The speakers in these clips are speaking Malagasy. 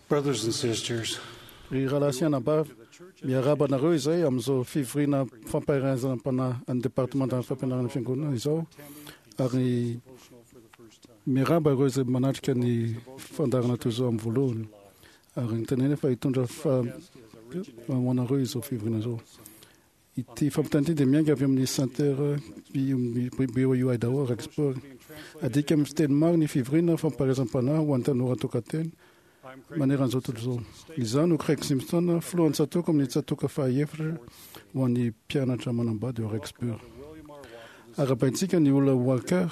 Brothers and sisters, Ry rahalahy sy anabavy, miarahaba anareo izay amin'izao fivoriana fampaherezam-panahy an'ny departemantan'ny fampianarana fiangonana izao ary miarahaba ireo izay manatrika ny fandaharana toy izao amin'ny voalohany ary ny tenena fa hitondra fa ho anareo izao fivoriana izao. Ity fampitana ity dia miainga avy amin'ny Center BYU Idaho Rexburg. Adika amin'ny fiteny maro ny fivoriana fampaherezam-panahy ho an'ny tanora tokan-tena manerana izao tontolo izao. Izaho no Craig Simpson, filohan'ny tsatòka amin'ny tsatòka fahaefatra ho an'ny mpianatra manambady ao Rexburg. Arahabaintsika ny olona Walker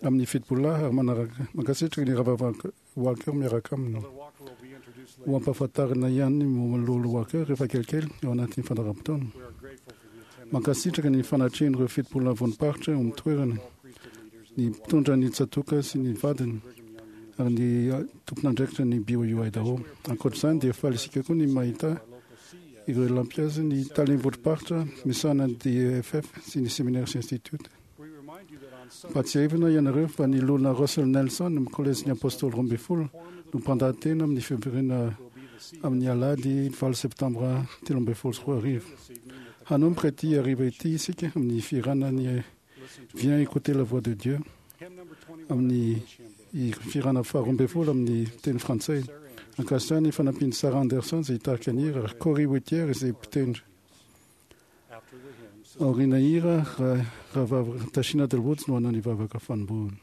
amin'ny fitopololahy ary manaraka mankasitraka ny rahavavy Walker miaraka aminy. Ho ampahafantarina ihany ny momba ny Loholona Walker rehefa kelikely ao anatin'ny fandaharam-potoana. Mankasitraka ny fanatrehan'ireo fitopololahy vonim-paritra eo amin'ny toerana, ny mpitondra ny tsatòka sy ny vadiny, ary ny tompon'andraikitra ny BYU Idaho. Ankoatra izany dia faly isika koa ny mahita ireo lampihazo ny talen'ny vondrom-paritra misahana ny DEFF sy ny Seminaire sy Institute. Ampahatsiahivina ianareo fa ny Loholona Russell Nelson amin'ny Kolejin'ny Apôstôly 12 no mpandahatena amin'ny fivoriana amin'ny alahady 8 septambra 2013. Hanomboka ity hariva ity isika amin'ny fihirana ny Viens écouter la voix de Dieu amin'ny fihirana faharoa ambin'ny folo amin'ny teny frantsay. Ankasitrahana ny fanampian'i Sarah Anderson izay hitarika ny hira ary Cory Whittier izay mpitendry. Aoriana hira, Rahavavy Tashina Delwoods no hanao ny vavaka fanombohana.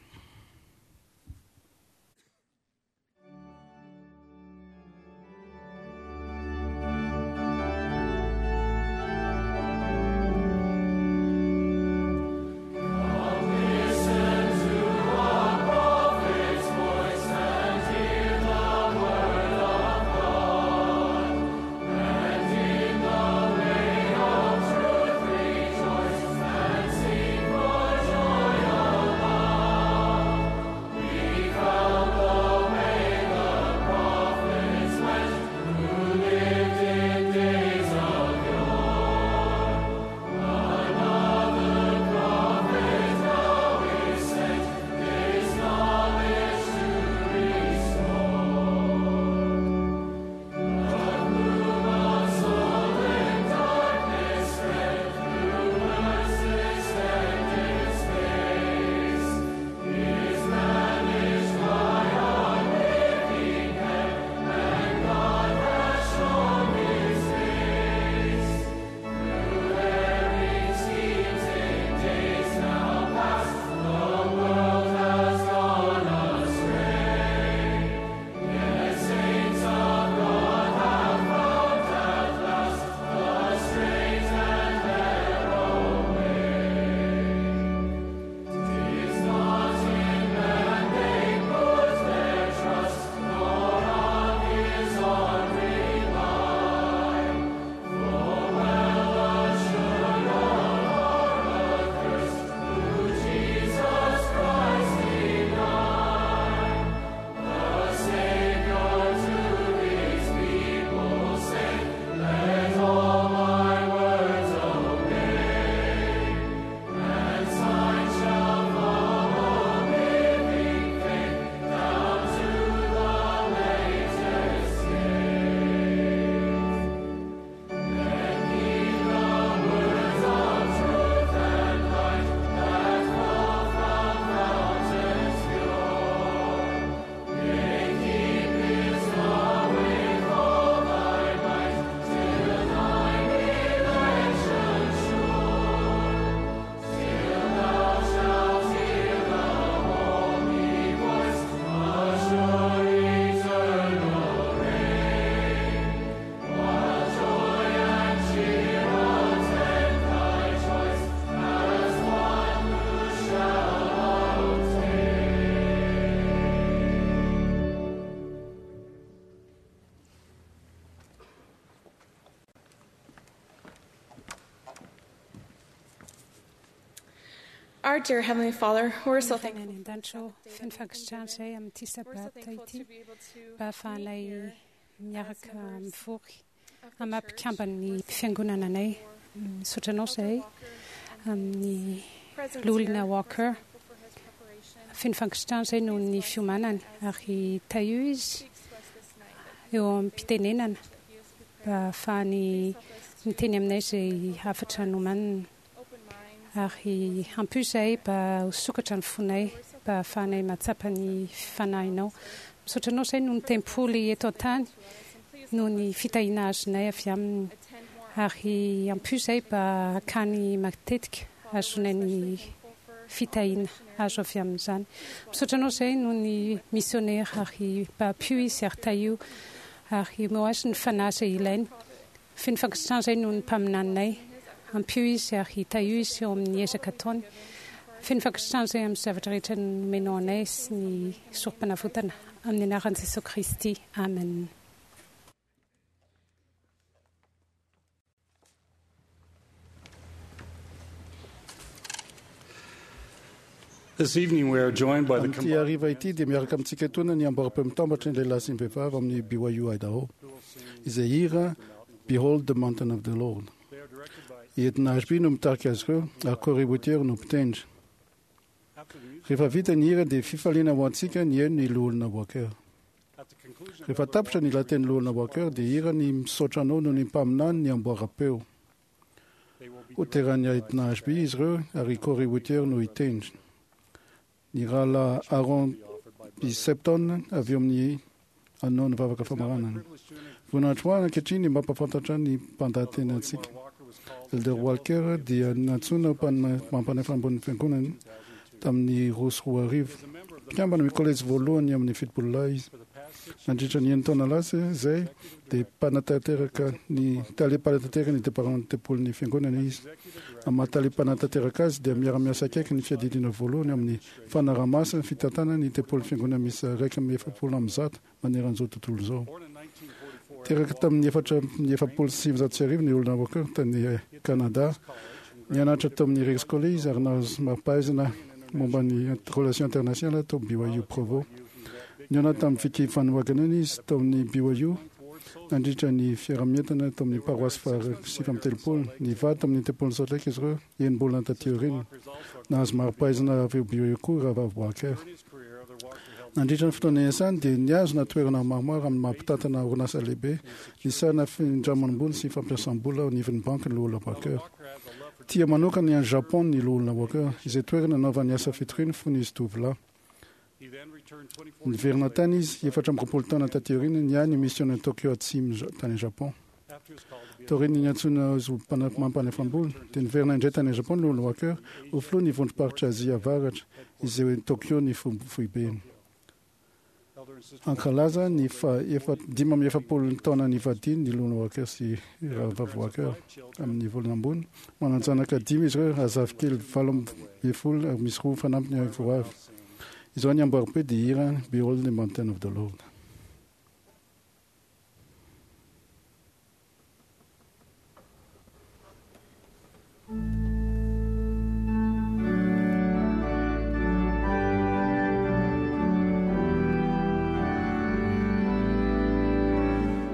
Our dear Heavenly Father, we're so thankful. Any an-danitra feno fankasitrahana izay amin'ity We're so sabata thankful ity to be able to mba ahafahanay meet here miaraka members mivory of the amin'ny church. mampikamban'ny We're so fiangonana anay. thankful Misaotra anao for Elder izahay Walker and amin'ny his presence Loholona here. We're so Walker. thankful for his preparation. Feno fankasitrahana izay noho ny fiomanany ary tahio izy Speaks to us this night that eo am-pitenenana mba hahafahany miteny aminay izay hafatra nomaniny. Ary ampio izahay mba ho sokatra ny fonay mba hahafahanay mahatsapa ny Fanahinao. Misaotra Anao izahay noho ny tempoly eto an-tany, noho ny fitahiana azonay avy aminy. Ary ampio izahay mba hakany matetika hahazoanay ny fitahiana azo avy amin'izany. Misaotra Anao izahay noho ny misionera ary mba ampio izy ary tahio ary omeo azy ny fanahy izay ilainy. Feno fankasitrahana izahay noho ny mpaminaninay. Ampio izy ary tahio izy eo amin'ny ezaka ataony. Feno fankasitrahana izahay amin'ny zavatra rehetra nomenao anay sy ny Sorompanavotana. Amin'ny anaran'i Jesoa Kristy. Amen. This evening we are joined by the Amin'ity hariva ity dia miaraka amintsika etoana ny amboaram-peo mitambatry ny lehilahy sy ny vehivavy amin'ny BYU Idaho, izay hira Behold the Mountain of the Lord. I Edna Ashby no mitarika azy ireo ary Corey Whittier no mpitendry. Rehefa vita ny hira dia fifaliana ho antsika ny heno ny Loholona Walker. Rehefa tapitra ny lahatenin'ny Loholona Walker dia hira ny Misaotra Anao noho ny Mpaminany ny amboaram-peo. Ho teran'i Edna Ashby izy ireo ary i Corey Whittier no hitendry. Ny rahalahy Aaron B. Septon avy eo amin'ny hanao ny vavaka famaranana. Voninahitro ho ahy ankehitriny ny mampahafantatra ny mpandahateny antsika. Elder Walker dia nantsoina ho mpanefa ambonin'ny fiangonana tamin'ny 2002. Mpikambana amin'ny kolejy voalohany amin'ny fitopololahy izy. Nandritra ny enin-taona lasa izay dia mpanatanteraka ny tale mpanatanteraka ny departemantan'ny tempolin'ny fiangonana izy. Amin'ny maha tale mpanatanteraka azy dia miara-miasa akaiky ny fiadidiana voalohany amin'ny fanaraha-maso ny fitantanana ny tempolin'ny fiangonana miisa 141 manerana izao tontolo izao. Teraka tamin'ny 1944 ny olona Walker tany Canada. Nianatra tao amin'ny Rex College izy ary nahazo mari-pahaizana momba ny Relations Internationales tao BYU Provo. Nihaona tamin'i Vicki Van Wagenen izy tao amin'ny BYU nandritra ny fiaraha-mientana tao amin'ny paroasy faha 39. Nivady tamin'ny tempolin'i Salt Lake izy ireo enim-bolana taty aoriana. Nahazo mari-pahaizana avy eo BYU koa Rahavavy Walker. Nandritra ny fotoana niasany dia nihazona toerana maromaro amin'ny maha mpitantana orinasa lehibe nisahana findramam-bola sy fampiasam-bola ao anivon'ny banky ny Loholona Walker. Tia manokana ny any Japon ny Loholona Walker, izay toerana nanaovany asa fitoriana fony izy tovolahy. Niverina tany izy 24 taona taty aoriana niahy ny misiona Tokyo Atsimo tany Japon. Taorian'ny niantsoana azy ho mpampanefam-bola, dia niverina indray tany Japon ny Loholona Walker ho filohan'ny vondrom-paritra Azia Avaratra, izay eo Tokyo ny foibeny. Hankalaza ny faha-45 taona nivadiany ny Loholona Walker sy Rahavavy Walker amin'ny volana ambony. Manan-janaka dimy izy ireo ary zafikely 18 ary misy roa fanampiny ho avy. Izao ny amboaram-peo dia hira Behold the Mountain of the Lord.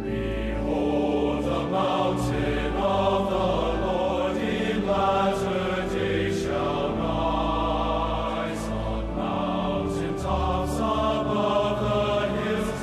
Behold the mountain of the Lord in latter days shall rise on mountain tops above the hills.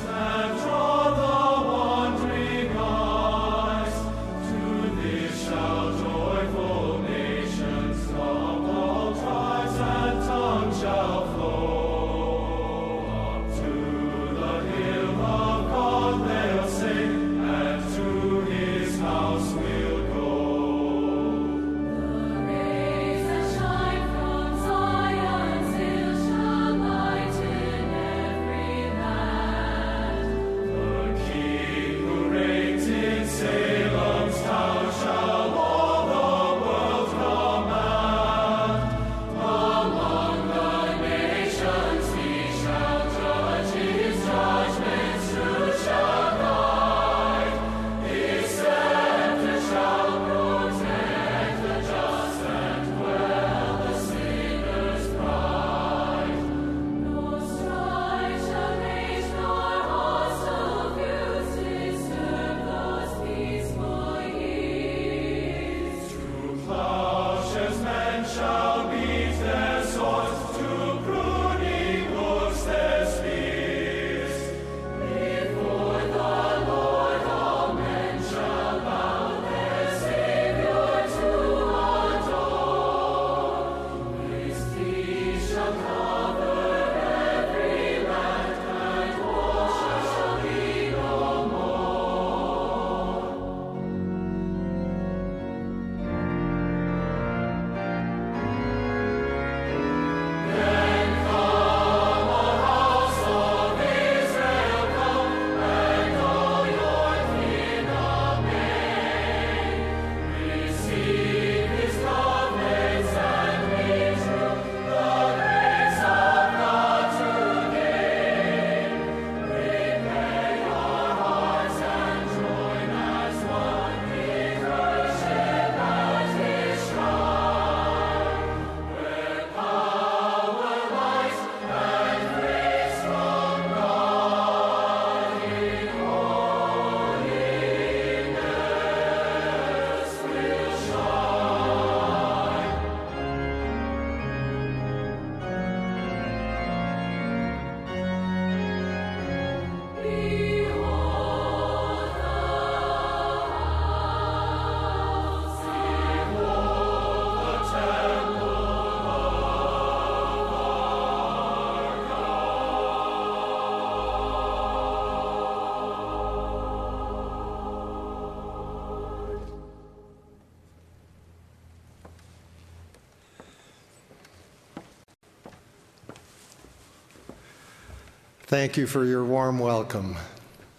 Thank you for your warm welcome.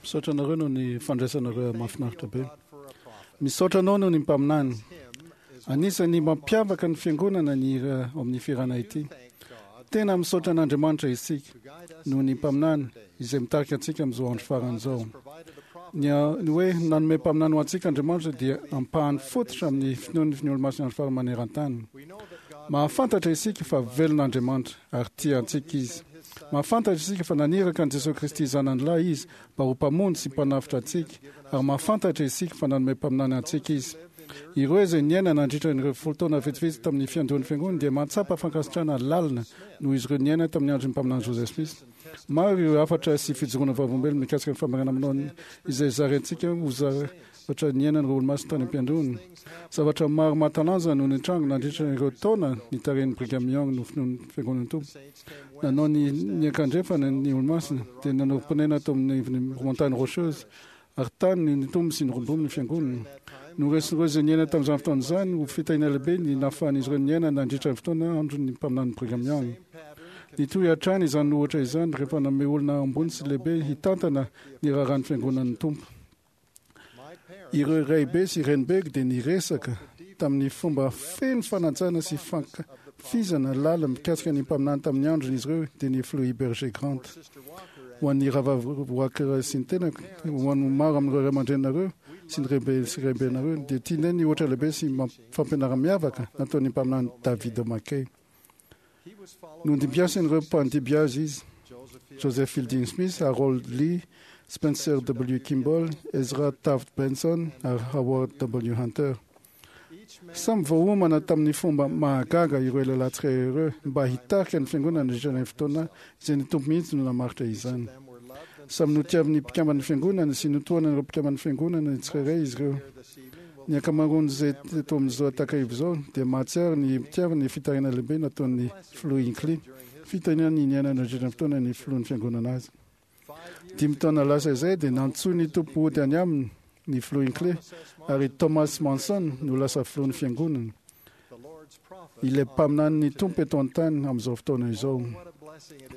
Misaotra anareo noho ny fandraisanareo mahafinaritra be. Misaotra anao noho ny mpaminany. Anisan'ny mampiavaka ny fiangonana ny hira ao amin'ny fihirana ity. Tena misaotra an'Andriamanitra isika noho ny mpaminany izay mitarika antsika amin'izao andro farany izao. Ny ny hoe nanome mpaminany ho antsika Andriamanitra dia ampahany fototra amin'ny finoan'ny ny Olomasin'ny Andro Farany maneran-tany. Mahafantatra isika fa velona Andriamanitra ary tia antsika Izy. Mahafantatra isika fa naniraka an'i Jesoa Kristy Zanany Lahy Izy mba ho Mpamonjy sy Mpanavotra antsika, ary mahafantatra isika fa nanome mpaminany antsika Izy. Ireo izay niaina nandritra ireo 10 taona vitsivitsy tamin'ny fiandohan'ny Fiangonana dia mahatsapa fankasitrahana lalina noho izy ireo niaina tamin'ny andron'ny mpaminany Joseph Smith. Maro ireo hafatra sy fijoroana vavolombelona mikasika ny famarinana manao izay zaraintsika ho zavatra niainan'ireo olomasina tany am-piandohana. Zavatra maro mahatalanjona no nitranga nandritra ireo taona nitarihan'i Brigham Young ny finoan'ny Fiangonan'ny Tompo. Nanao ny niankandrefana ny olomasina, dia nanorim-ponenana tao amin'ny Montagne Rocheuse, ary tany no nitombo sy niroborobo ny Fiangonana. Noresin'ireo izay niaina tamin'izany fotoana izany ho fitahiana lehibe ny nahafahan'izy ireo niaina nandritra ny fotoana andron'ny mpaminany Brigham Young. Nitohy hatrany izany ohatra izany rehefa nanome olona ambony sy lehibe hitantana ny raharahan'ny Fiangonan'ny Tompo. Ireo raibe sy renibeko dia niresaka tamin'ny fomba feno fanajana sy fankafizana lalina mikasika ny mpaminany tamin'ny androny izy ireo, dia ny Filoha Heber G. Grant. Ho an'ny rahavavy Walker sy ny tenako, ho an'ny maro amin'ireo ray aman-dreninareo sy ny raibe sy raibenareo, dia tianay ny ohatra lehibe sy fampianara-miavaka nataon'ny mpaminany David McKay. Nondimbiasin'ireo mpandimby azy izy, Joseph Fielding Smith, Harold Lee, Spencer W. Kimball, Ezra Taft Benson ary Howard W. Hunter. Samy voaomana tamin'ny fomba mahagaga ireo lehilahy tsirairay ireo mba hitarika ny fiangonana nandritra ilay fotoana izay ny Tompo mihitsy no namaritra izany. Samy notiavin'ny mpikamban'ny fiangonana sy notohanan'ireo mpikamban'ny fiangonana tsirairay izy ireo. Ny ankamaroan'izay teto amin'izao takariva izao dia mahatsiaro ny mpitiavana ny fitariana lehibe nataon'ny Filoha Hinckley, fitariana ny niainana nandritra ny fotoana ny filohan'ny fiangonana azy. 5 taona lasa izay dia nantsoin'ny Tompo hody any aminy ny Filoha Hinckley, ary Thomas Monson no lasa filohan'ny fiangonana, ilay mpaminanin'ny Tompo eto an-tany amin'izao fotoana izao.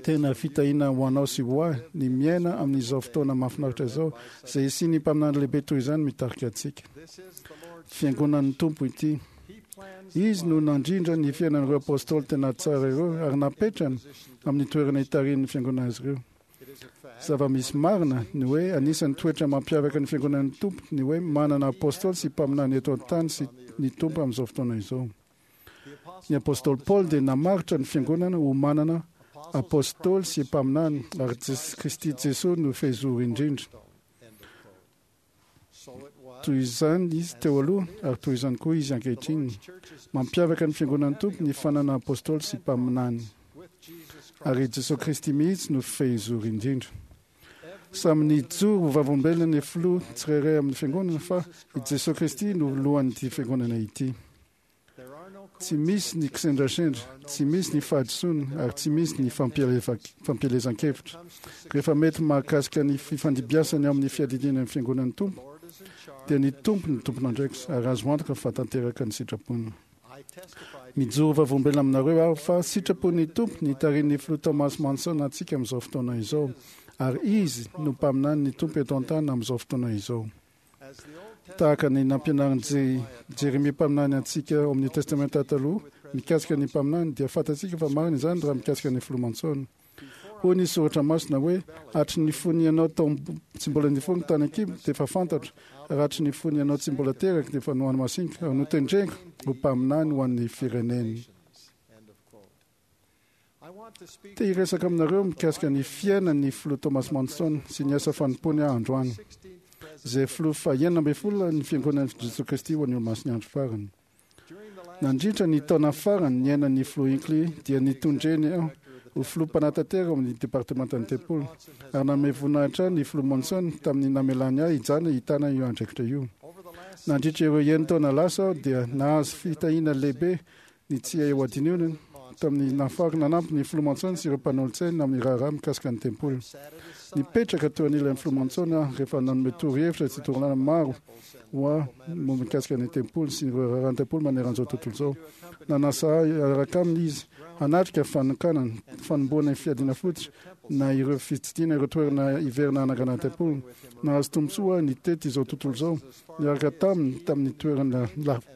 Tena fitahiana ho anao sy ho ahy ny miaina amin'izao fotoana mahafinaritra izao, izay hisian'ny mpaminany lehibe toy izany mitarika antsika. Fiangonan'ny Tompo ity. Izy no nandrindra ny fiainan'ireo apôstôly tena tsara ireo ary napetrany amin'ny toerana itarihin'ny fiangonana azy ireo. Zava-misy marina ny hoe anisan'ny toetra mampiavaka ny fiangonan'ny Tompo ny hoe manana apôstôly sy mpaminany eto an-tany sy ny Tompo amin'izao fotoana izao. Ny apôstôly Paoly dia namaritra ny fiangonana ho manana apôstôly sy mpaminany ary Kristy Jesoa no fehizoro indrindra. Toy izany izy teo aloha ary toy izany koa izy ankehitriny. Mampiavaka ny fiangonan'ny Tompo ny fanana apôstôly sy mpaminany. Ary i Jesoa Kristy mihitsy no fehizoro indrindra. Samy nijoro ho vavolombelona ny filoha tsirairay amin'ny fiangonana fa i Jesoa Kristy no lohan'ity fiangonana ity. Tsy misy ny kisendrasendra, tsy misy ny fahadisoana ary tsy misy ny fampielezan-kevitra. Rehefa mety mahakasika ny fifandimbiasany ao amin'ny fiadidiana ny Fiangonan'ny Tompo, dia ny Tompo no tompon'andraikitra ary azo antoka fa tanteraka ny sitrapony. Mijoro vavolombelona aminareo aho fa sitrapon'ny Tompo ny hitarihin'ny Filoha Thomas Monson antsika amin'izao fotoana izao, ary izy no mpaminany ny Tompo eto an-tany amin'izao fotoana izao. Tahaka ny nampianarin'i Jeremia mpaminany antsika ao amin'ny Testamenta Taloha mikasika ny mpaminany, dia fantatsika fa marina izany raha mikasika ny Filoha Monson. Hoy ny Soratra Masina hoe, Hatry ny fony ianao tao tsy mbola nifono tany an-kibo dia efa fantatro, ary hatry ny fony ianao tsy mbola teraka dia efa nohamasiniko ary notendreko ho mpaminany ho an'ny firenena. Te hiresaka aminareo mikasika ny fiainan'ny Filoha Thomas Monson sy ny asa fanompoany aho androany, izay Filoha faha-16 ny Fiangonan'i Jesoa Kristy ho an'ny Olomasin'ny Andro Farany. Nandritra ny taona farany niainan'ny Filoha Hinckley dia nitondreny aho ho Filoha mpanatanteraka ao amin'ny Departemantan'ny Tempoly, ary nanome voninahitra ahy ny Filoha Monson tamin'ny namelany ahy hijanona hitana io andraikitra io. Nandritra ireo enin-taona lasa aho dia nahazo fitahiana lehibe Ny tsy hay hohadinoina tamin'ny nahafahako nanampy ny Filoha Monson sy ireo mpanolotsaina amin'ny raharaha mikasika ny tempoly. Nipetraka teo anilan'ny filoha Monson aho rehefa nanome torohevitra sy torolalana maro ho ahy momba mikasika ny tempoly sy ireo raharahan'ny tempoly manerana izao tontolo izao. Nanasa ahy hiaraka aminy izy hanatrika fanokanana, fanombohana ny fiadiana fototra, na ireo fitsidihana ireo toerana hiverina hanangana ny tempoly. Nahazo tombontsoa aho nitety izao tontolo izao niaraka taminy tamin'ny toerana lavitra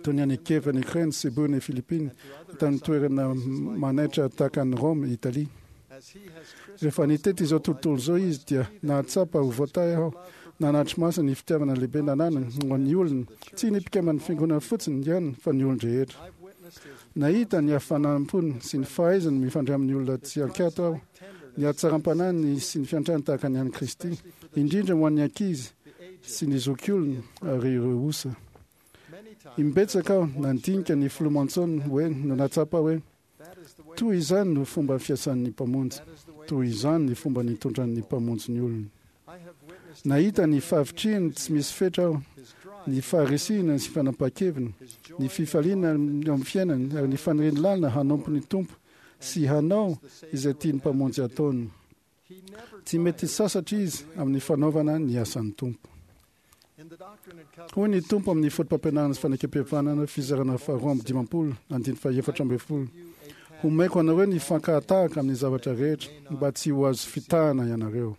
toy ny any Kiev any Ukraine, Cebu any Philippines, tamin'ny toerana manaitra tahaka an'i Rome, Italie. Rehefa nitety izao tontolo izao izy dia nahatsapa ho voatahy aho nanatri-maso ny fitiavana lehibe nananany ho an'ny olona, tsy ny mpikamban'ny fiangonana fotsiny ihany fa ny olon-drehetra. Nahita ny hafanam-pony sy ny fahaizany mifandray amin'ny olona tsy an-kiato aho, ny hatsaram-panahiny sy ny fiantrany tahaka ny an'i Kristy, indrindra ho an'ny ankizy sy ny zokiolona ary ireo osa. Imbetsaka aho nandinika ny Filoha Monson hoe no nahatsapa hoe Toy izany no fomba fiasan'ny Mpamonjy. Toy izany ny fomba nitondran'ny Mpamonjy ny olony. Nahita ny fahavitrihiny tsy misy fetra aho, ny faharisihina sy fanapahan-keviny, ny fifaliana eo amin'ny fiainany, ary ny faniriany lalina hanompo ny Tompo sy hanao izay tian'ny Mpamonjy hataony. Tsy mety sasatra izy amin'ny fanaovana ny asan'ny Tompo. Hoy ny Tompo amin'ny Fotopampianarana sy Fanekempihavanana, fizarana faharoa amby dimampolo, andininy faha-14, Homeko anareo ny fankahatahaka amin'ny zavatra rehetra, mba tsy ho azo fitahana ianareo.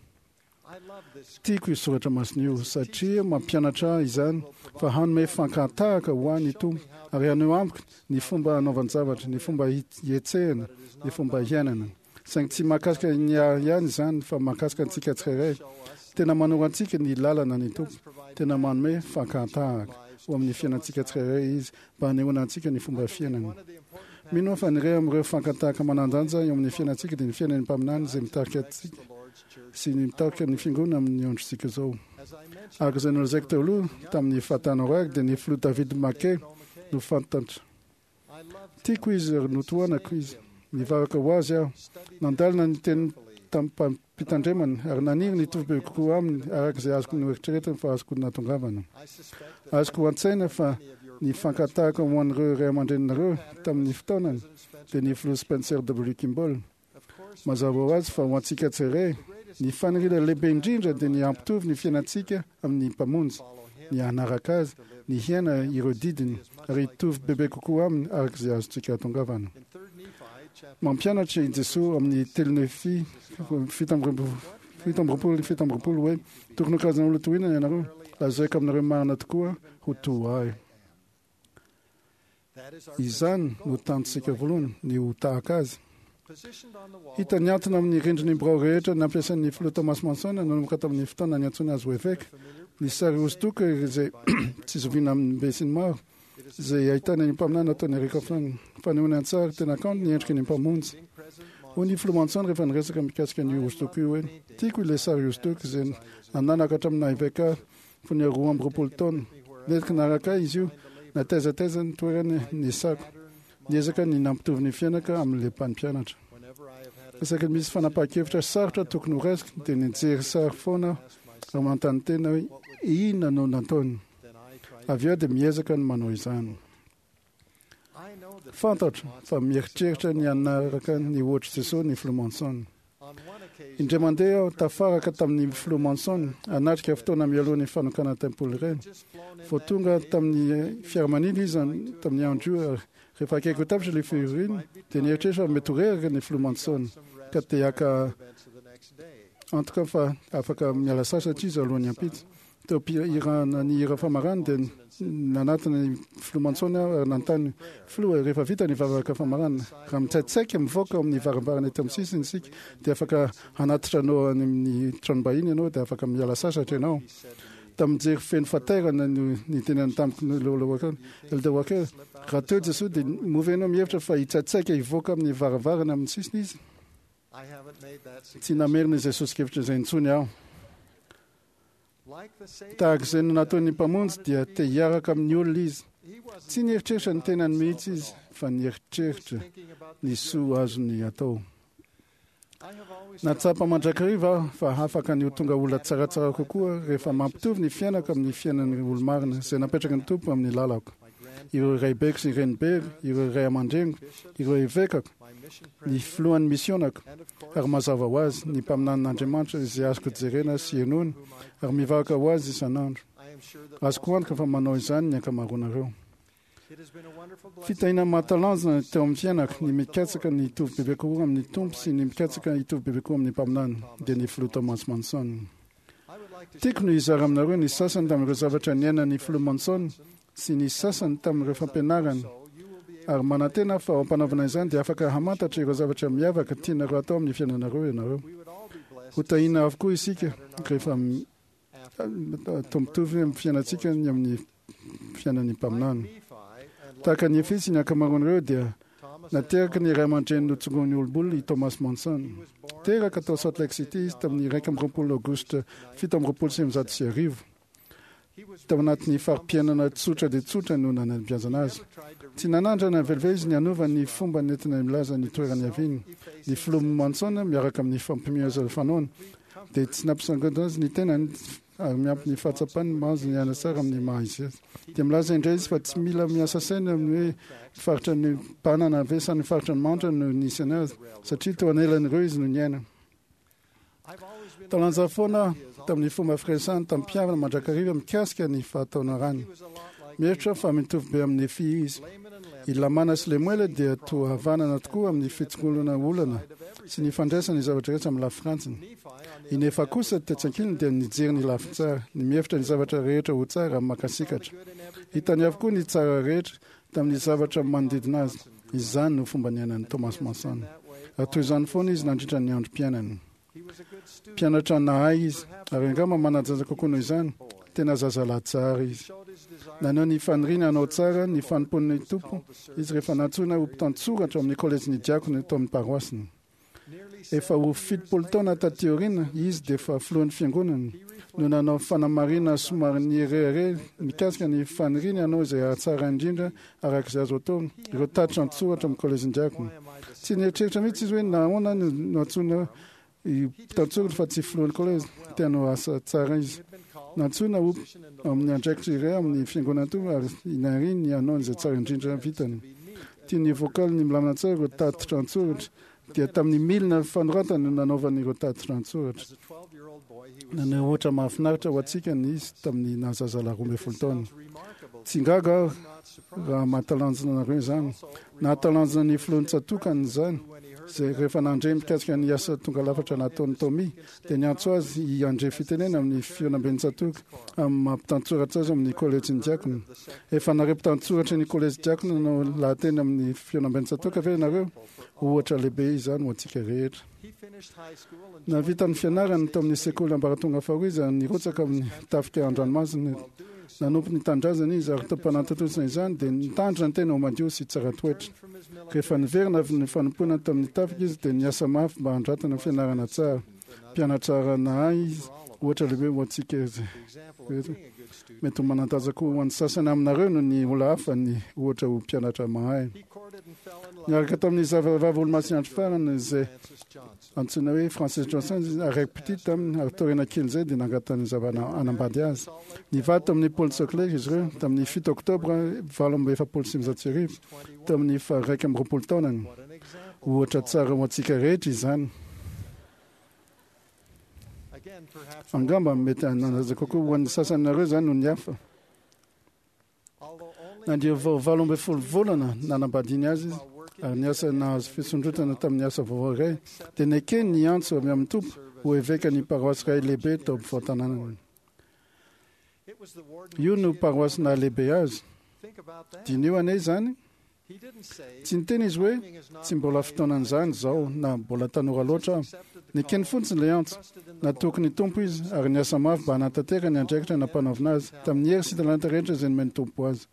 Tiako io soratra masina io, satria mampianatra ahy izany fa hanome fankahatahaka ho ahy ny Tompo, ary haneho amiko ny fomba hanaovan-javatra, ny fomba hihetsehana, ny fomba hiainana. Saingy tsy mahakasika ny ahy ihany izany fa mahakasika antsika tsirairay. Tena manoro antsika ny lalana ny Tompo. Tena manome fankahan-tahaka ho amin'ny fiainantsika tsirairay Izy mba hanehoana antsika ny fomba fiainany. Mino aho fa ny iray amin'ireo fankan-tahaka manan-danja eo amin'ny fiainantsika dia ny fiainan'ny mpaminany izay mitarika antsika sy ny mitarika ny Fiangonana amin'ny androntsika izao. Araka izay nolazaiko teo aloha tamin'ny fahatany dia ny Filoha David McKay no fantatra. Tiako izy ary notohanako izy. Nivavaka ho azy aho. Nandalina ny teniny tamim-pitandremana ary naniry ny hitovy bebe kokoa aminy araka izay azoko noeritreretina fa azoko nahatongavana. Azoko an-tsaina fa ny fankatahako ho an'ireo ray aman-dreninareo tamin'ny fotoanany dia ny Filoha Spencer W. Kimball. Mazava ho azy fa ho antsika tsirairay, ny faniriana lehibe indrindra dia ny hampitovy ny fiainantsika amin'ny Mpamonjy, ny hanaraka Azy, ny hiaina ireo didiny, ary hitovy bebe kokoa Aminy araka izay azontsika atongavana. Mampianatra i Jesoa amin'ny 3 Nefy 27 hoe, Tokony ho karazana olona toy inona ianareo? Lazaiko aminareo marina tokoa, ho toa Ahy. Izany no tanjontsika voalohany, ny ho tahaka azy. Hita nihantona amin'ny rindrin'ny birao rehetra nampiasain'ny filoha Thomas Monson nanomboka tamin'ny fotoana niantsoana azy ho eveka, ny sary hosodoko izay tsy zoviana amin'ny besinimaro, izay ahitana ny mpaminany nataon'i Eric Hofmann. Fanehoana an-tsary tena kanto ny endriky ny Mpamonjy. Hoy ny filoha Monson rehefa niresaka mikasika an'io hosodoko io hoe, Tiako ilay sary hosodoko izay nananako hatramin'ny naha eveka ahy Fony aho 22 taona. Nentiko naraka ahy izy io, na taiza taiza ny toerany nisako. Niezaka ny nampitovy ny fiainako amin'ilay mpampianatra. Isaky ny misy fanapahan-kevitra sarotra tokony horaisiko dia nijery sary foana aho ary manontany tena hoe inona no nataony. Avy eo aho dia miezaka ny manao izany. Fantatro fa mieritreritra ny hanaraka ny ohatr'i Jesosy ny Filoha Monson. Indray mandeha aho tafaraka tamin'ny Filoha Monson hanatrika fotoana mialoha ny fanokana tempoly iray. Vao tonga tamin'ny fiaramanidina izy tamin'ny andro io ary rehefa akaiky ho tapitra ilay fivoriana dia nieritreritra fa mety ho reraka ny Filoha Monson ka te haka antoka fa afaka miala sasatra izy alohan'ny ampitso. Teo am-pihirana ny hira famarana dia nanatona ny Filoha Monson aho ary nanontany, Filoha, rehefa vita ny vavaka famarana, raha mitsaitsaika mivoaka ao amin'ny varavarana eto amin'ny sisiny isika dia afaka hanatitra anao any amin'ny tranom-bahiny ianao dia afaka miala sasatra ianao. Tamin'ny jery feno fatairana no nitenenany tamiko Lola Walker, Elder Walker, raha teo Jesoa dia moa ve ianao mihevitra fa hitsaitsaika hivoaka amin'ny varavarana amin'ny sisiny Izy? Tsy namerina izay soso-kevitra izay intsony aho. Tahaka izay no nataon'ny Mpamonjy dia te hiaraka amin'ny olona izy. Tsy nieritreritra ny tenany mihitsy izy fa nieritreritra ny soa azony atao. Nahatsapa mandrakariva aho fa afaka ny ho tonga olona tsaratsara kokoa rehefa mampitovy ny fiainako amin'ny fiainan'ny olo-marina izay napetraky ny Tompo amin'ny lalako. ireo raibeko sy ny renibeko, ireo ray aman-dreniko, ireo evekako, ny filohan'ny misionako, ary mazava ho azy, ny mpaminanin'Andriamanitra izay azoko jerena sy henoina, ary mivavaka ho azy isan'andro. Azoko antoka fa manao izany ny ankamaroanareo. Fitahiana mahatalanjona teo amin'ny fiainako ny mikatsaka ny hitovy bebe kokoa amin'ny Tompo sy ny mikatsaka hitovy bebe kokoa amin'ny mpaminany, dia ny Filoha Thomas Monson. Tiako ny hizara aminareo ny sasany tamin'ireo zavatra niainan'ny Filoha Monson sy ny sasany tamin'ireo fampianarany, ary manantena aho fa ao am-panaovana izany dia afaka hamantatra ireo zavatra miavaka tianareo hatao amin'ny fiainanareo ianareo. Hotahiana avokoa isika rehefa atao mitovy amin'ny fiainantsika ny amin'ny fiainan'ny mpaminany. Tahaka an'i Nefy sy ny ankamaroan'ireo dia nateraky ny ray aman-dreny notsongoin'ny olom-bolona i Thomas Monson. Teraka tao Salt Lake City izy tamin'ny 21 Aogositra 1927. Tao anatin'ny fari-piainana tsotra dia tsotra no nanabeazana azy. Tsy nanandrana velively izy ny hanova ny fomba nentina milaza ny toerana niaviany. Ny filoha Monson miaraka amin'ny fampiomeazana fanaony dia tsy nampisanganjana azy ny tenany ary miampy ny fahatsapany mahazo ny aina tsara amin'ny maha izy azy. Dia milaza indray izy fa tsy mila miasa saina amin'ny hoe faritra ny mpanana ve sa ny faritra ny mahantra no nisy azy, satria teo anelan'ireo izy no niaina. Talanjona foana aho tamin'ny fomba firesahany tamim-pihavana mandrakariva mikasika ny fahataonarany. Mihevitra aho fa mitovy be amin'i Nefia izy. I Lamana sy Lemoela dia toa havanana tokoa amin'ny fitsingolana olana sy ny fandraisana ny zavatra rehetra amin'ny lafy-rantsiny. I Nefa kosa tetsy ankilany dia nijery ny lafiny tsara, ny mihevitra ny zavatra rehetra ho tsara ary mankasitraka. Hitany avokoa ny tsara rehetra tamin'ny zavatra manodidina azy. Izany no fomba niainan'i Thomas Monson. Ary toy izany foana izy nandritra ny androm-piainany. Mpianatra nahay izy, ary angamba manan-jaza kokoa noho izany. Tena zazalahy tsara izy. Naneho ny faniriany hanao tsara ny fanompoan'ny Tompo izy rehefa nantsoina ho mpitantsoratra ao amin'ny kolejin'ny diakona tao amin'ny paroasiny. Efa ho 70 taona taty aoriana, izy dia efa filohan'ny fiangonana, no nanao fanamarihana somary nirehareha mikasika ny faniriany hanao izay hahatsara indrindra araka izay azo atao ireo tatitra an-tsoratra amin'ny kolejin-diakona. Tsy nieritreritra mihitsy izy hoe nahoana no nantsoina mpitantsoratra fa tsy filohan'ny kolejy. Te hanao asa tsara izy. Nantsoina ho amin'ny andraikitra iray amin'ny fiangonana Tompo ary niriny ny hanao izay tsara indrindra vitany. Tian'ny vocal ny milamina tsara ireo tatitra an-tsoratra dia tamin'ny milina fanoratana no nanaovany ireo tatitra an-tsoratra. Naneho ohatra mahafinaritra ho antsika ny izy tamin'ny nahazazalahy 12 taona. Tsy gaga aho raha mahatalanjona anareo izany. Nahatalanjona ny filohan'ny tsatòkany izany, izay rehefa nandre mikasika ny asa tonga lafatra nataon'i Tommy, dia niantso azy hiandre fitenena amin'ny fihaonamben'ny tsatòka amin'ny maha mpitantsoratra azy amin'ny kolejin'ny diakona. Efa nare mpitantsoratry ny kolejy diakona nanao lahateny amin'ny fihaonamben'ny tsatòka ve ianareo? Ohatra lehibe izany ho antsika rehetra. Nahavita ny fianarany tao amin'ny sekoly ambaratonga faharoa izy ary nirotsaka amin'ny tafika an-dranomasina. Nanompo ny tanindrazana izy ary teo am-panatontosana izany dia nitandrina ny tena ho madio sy tsara toetra. Rehefa niverina avy ny fanompoana tamin'ny tafika izy dia niasa mafy mba handratana fianarana tsara. Mpianatra nahay izy, ohatra lehibe ho antsika rehetra. Mety ho manan-danja koa ho an'ny sasany aminareo noho ny olona hafa ny ohatra ho mpianatra mahay. Niaraka tamin'ny zavavavy olomasin'ny andro farany izay antsoina hoe Francis Johnson izy ary raiki-pitia taminy, ary taoriana kelin'izay dia nangatany zava-hanambady azy. Nivady tamin'ny Paul Soclair izy ireo tamin'ny 7 Oktobra 1948, teo amin'ny faha-21 taonany. Ohatra tsara ho antsika rehetra izany. Angamba mety hanana-danja kokoa ho an'ny sasany aminareo izany noho ny hafa. Na dia vao 18 volana nanambadiany azy izy ary niasa nahazo fisondrotana tamin'ny asa vaovao iray, dia nekeny ny antso avy amin'ny Tompo ho evekan'ny paroasy iray lehibe tao ampovoan-tanànany. Io no paroasy nahalehibe azy. Diniho anie izany. Tsy niteny izy hoe, Tsy mbola fotoanan'izany izao na mbola tanora loatra aho. Nekeny fotsiny ilay antso. Natoky ny Tompo izy ary niasa mafy mba hanatanteraka ny andraikitra nampanaovina azy, tamin'ny hery sy talenta rehetra izay nomen'ny Tompo azy.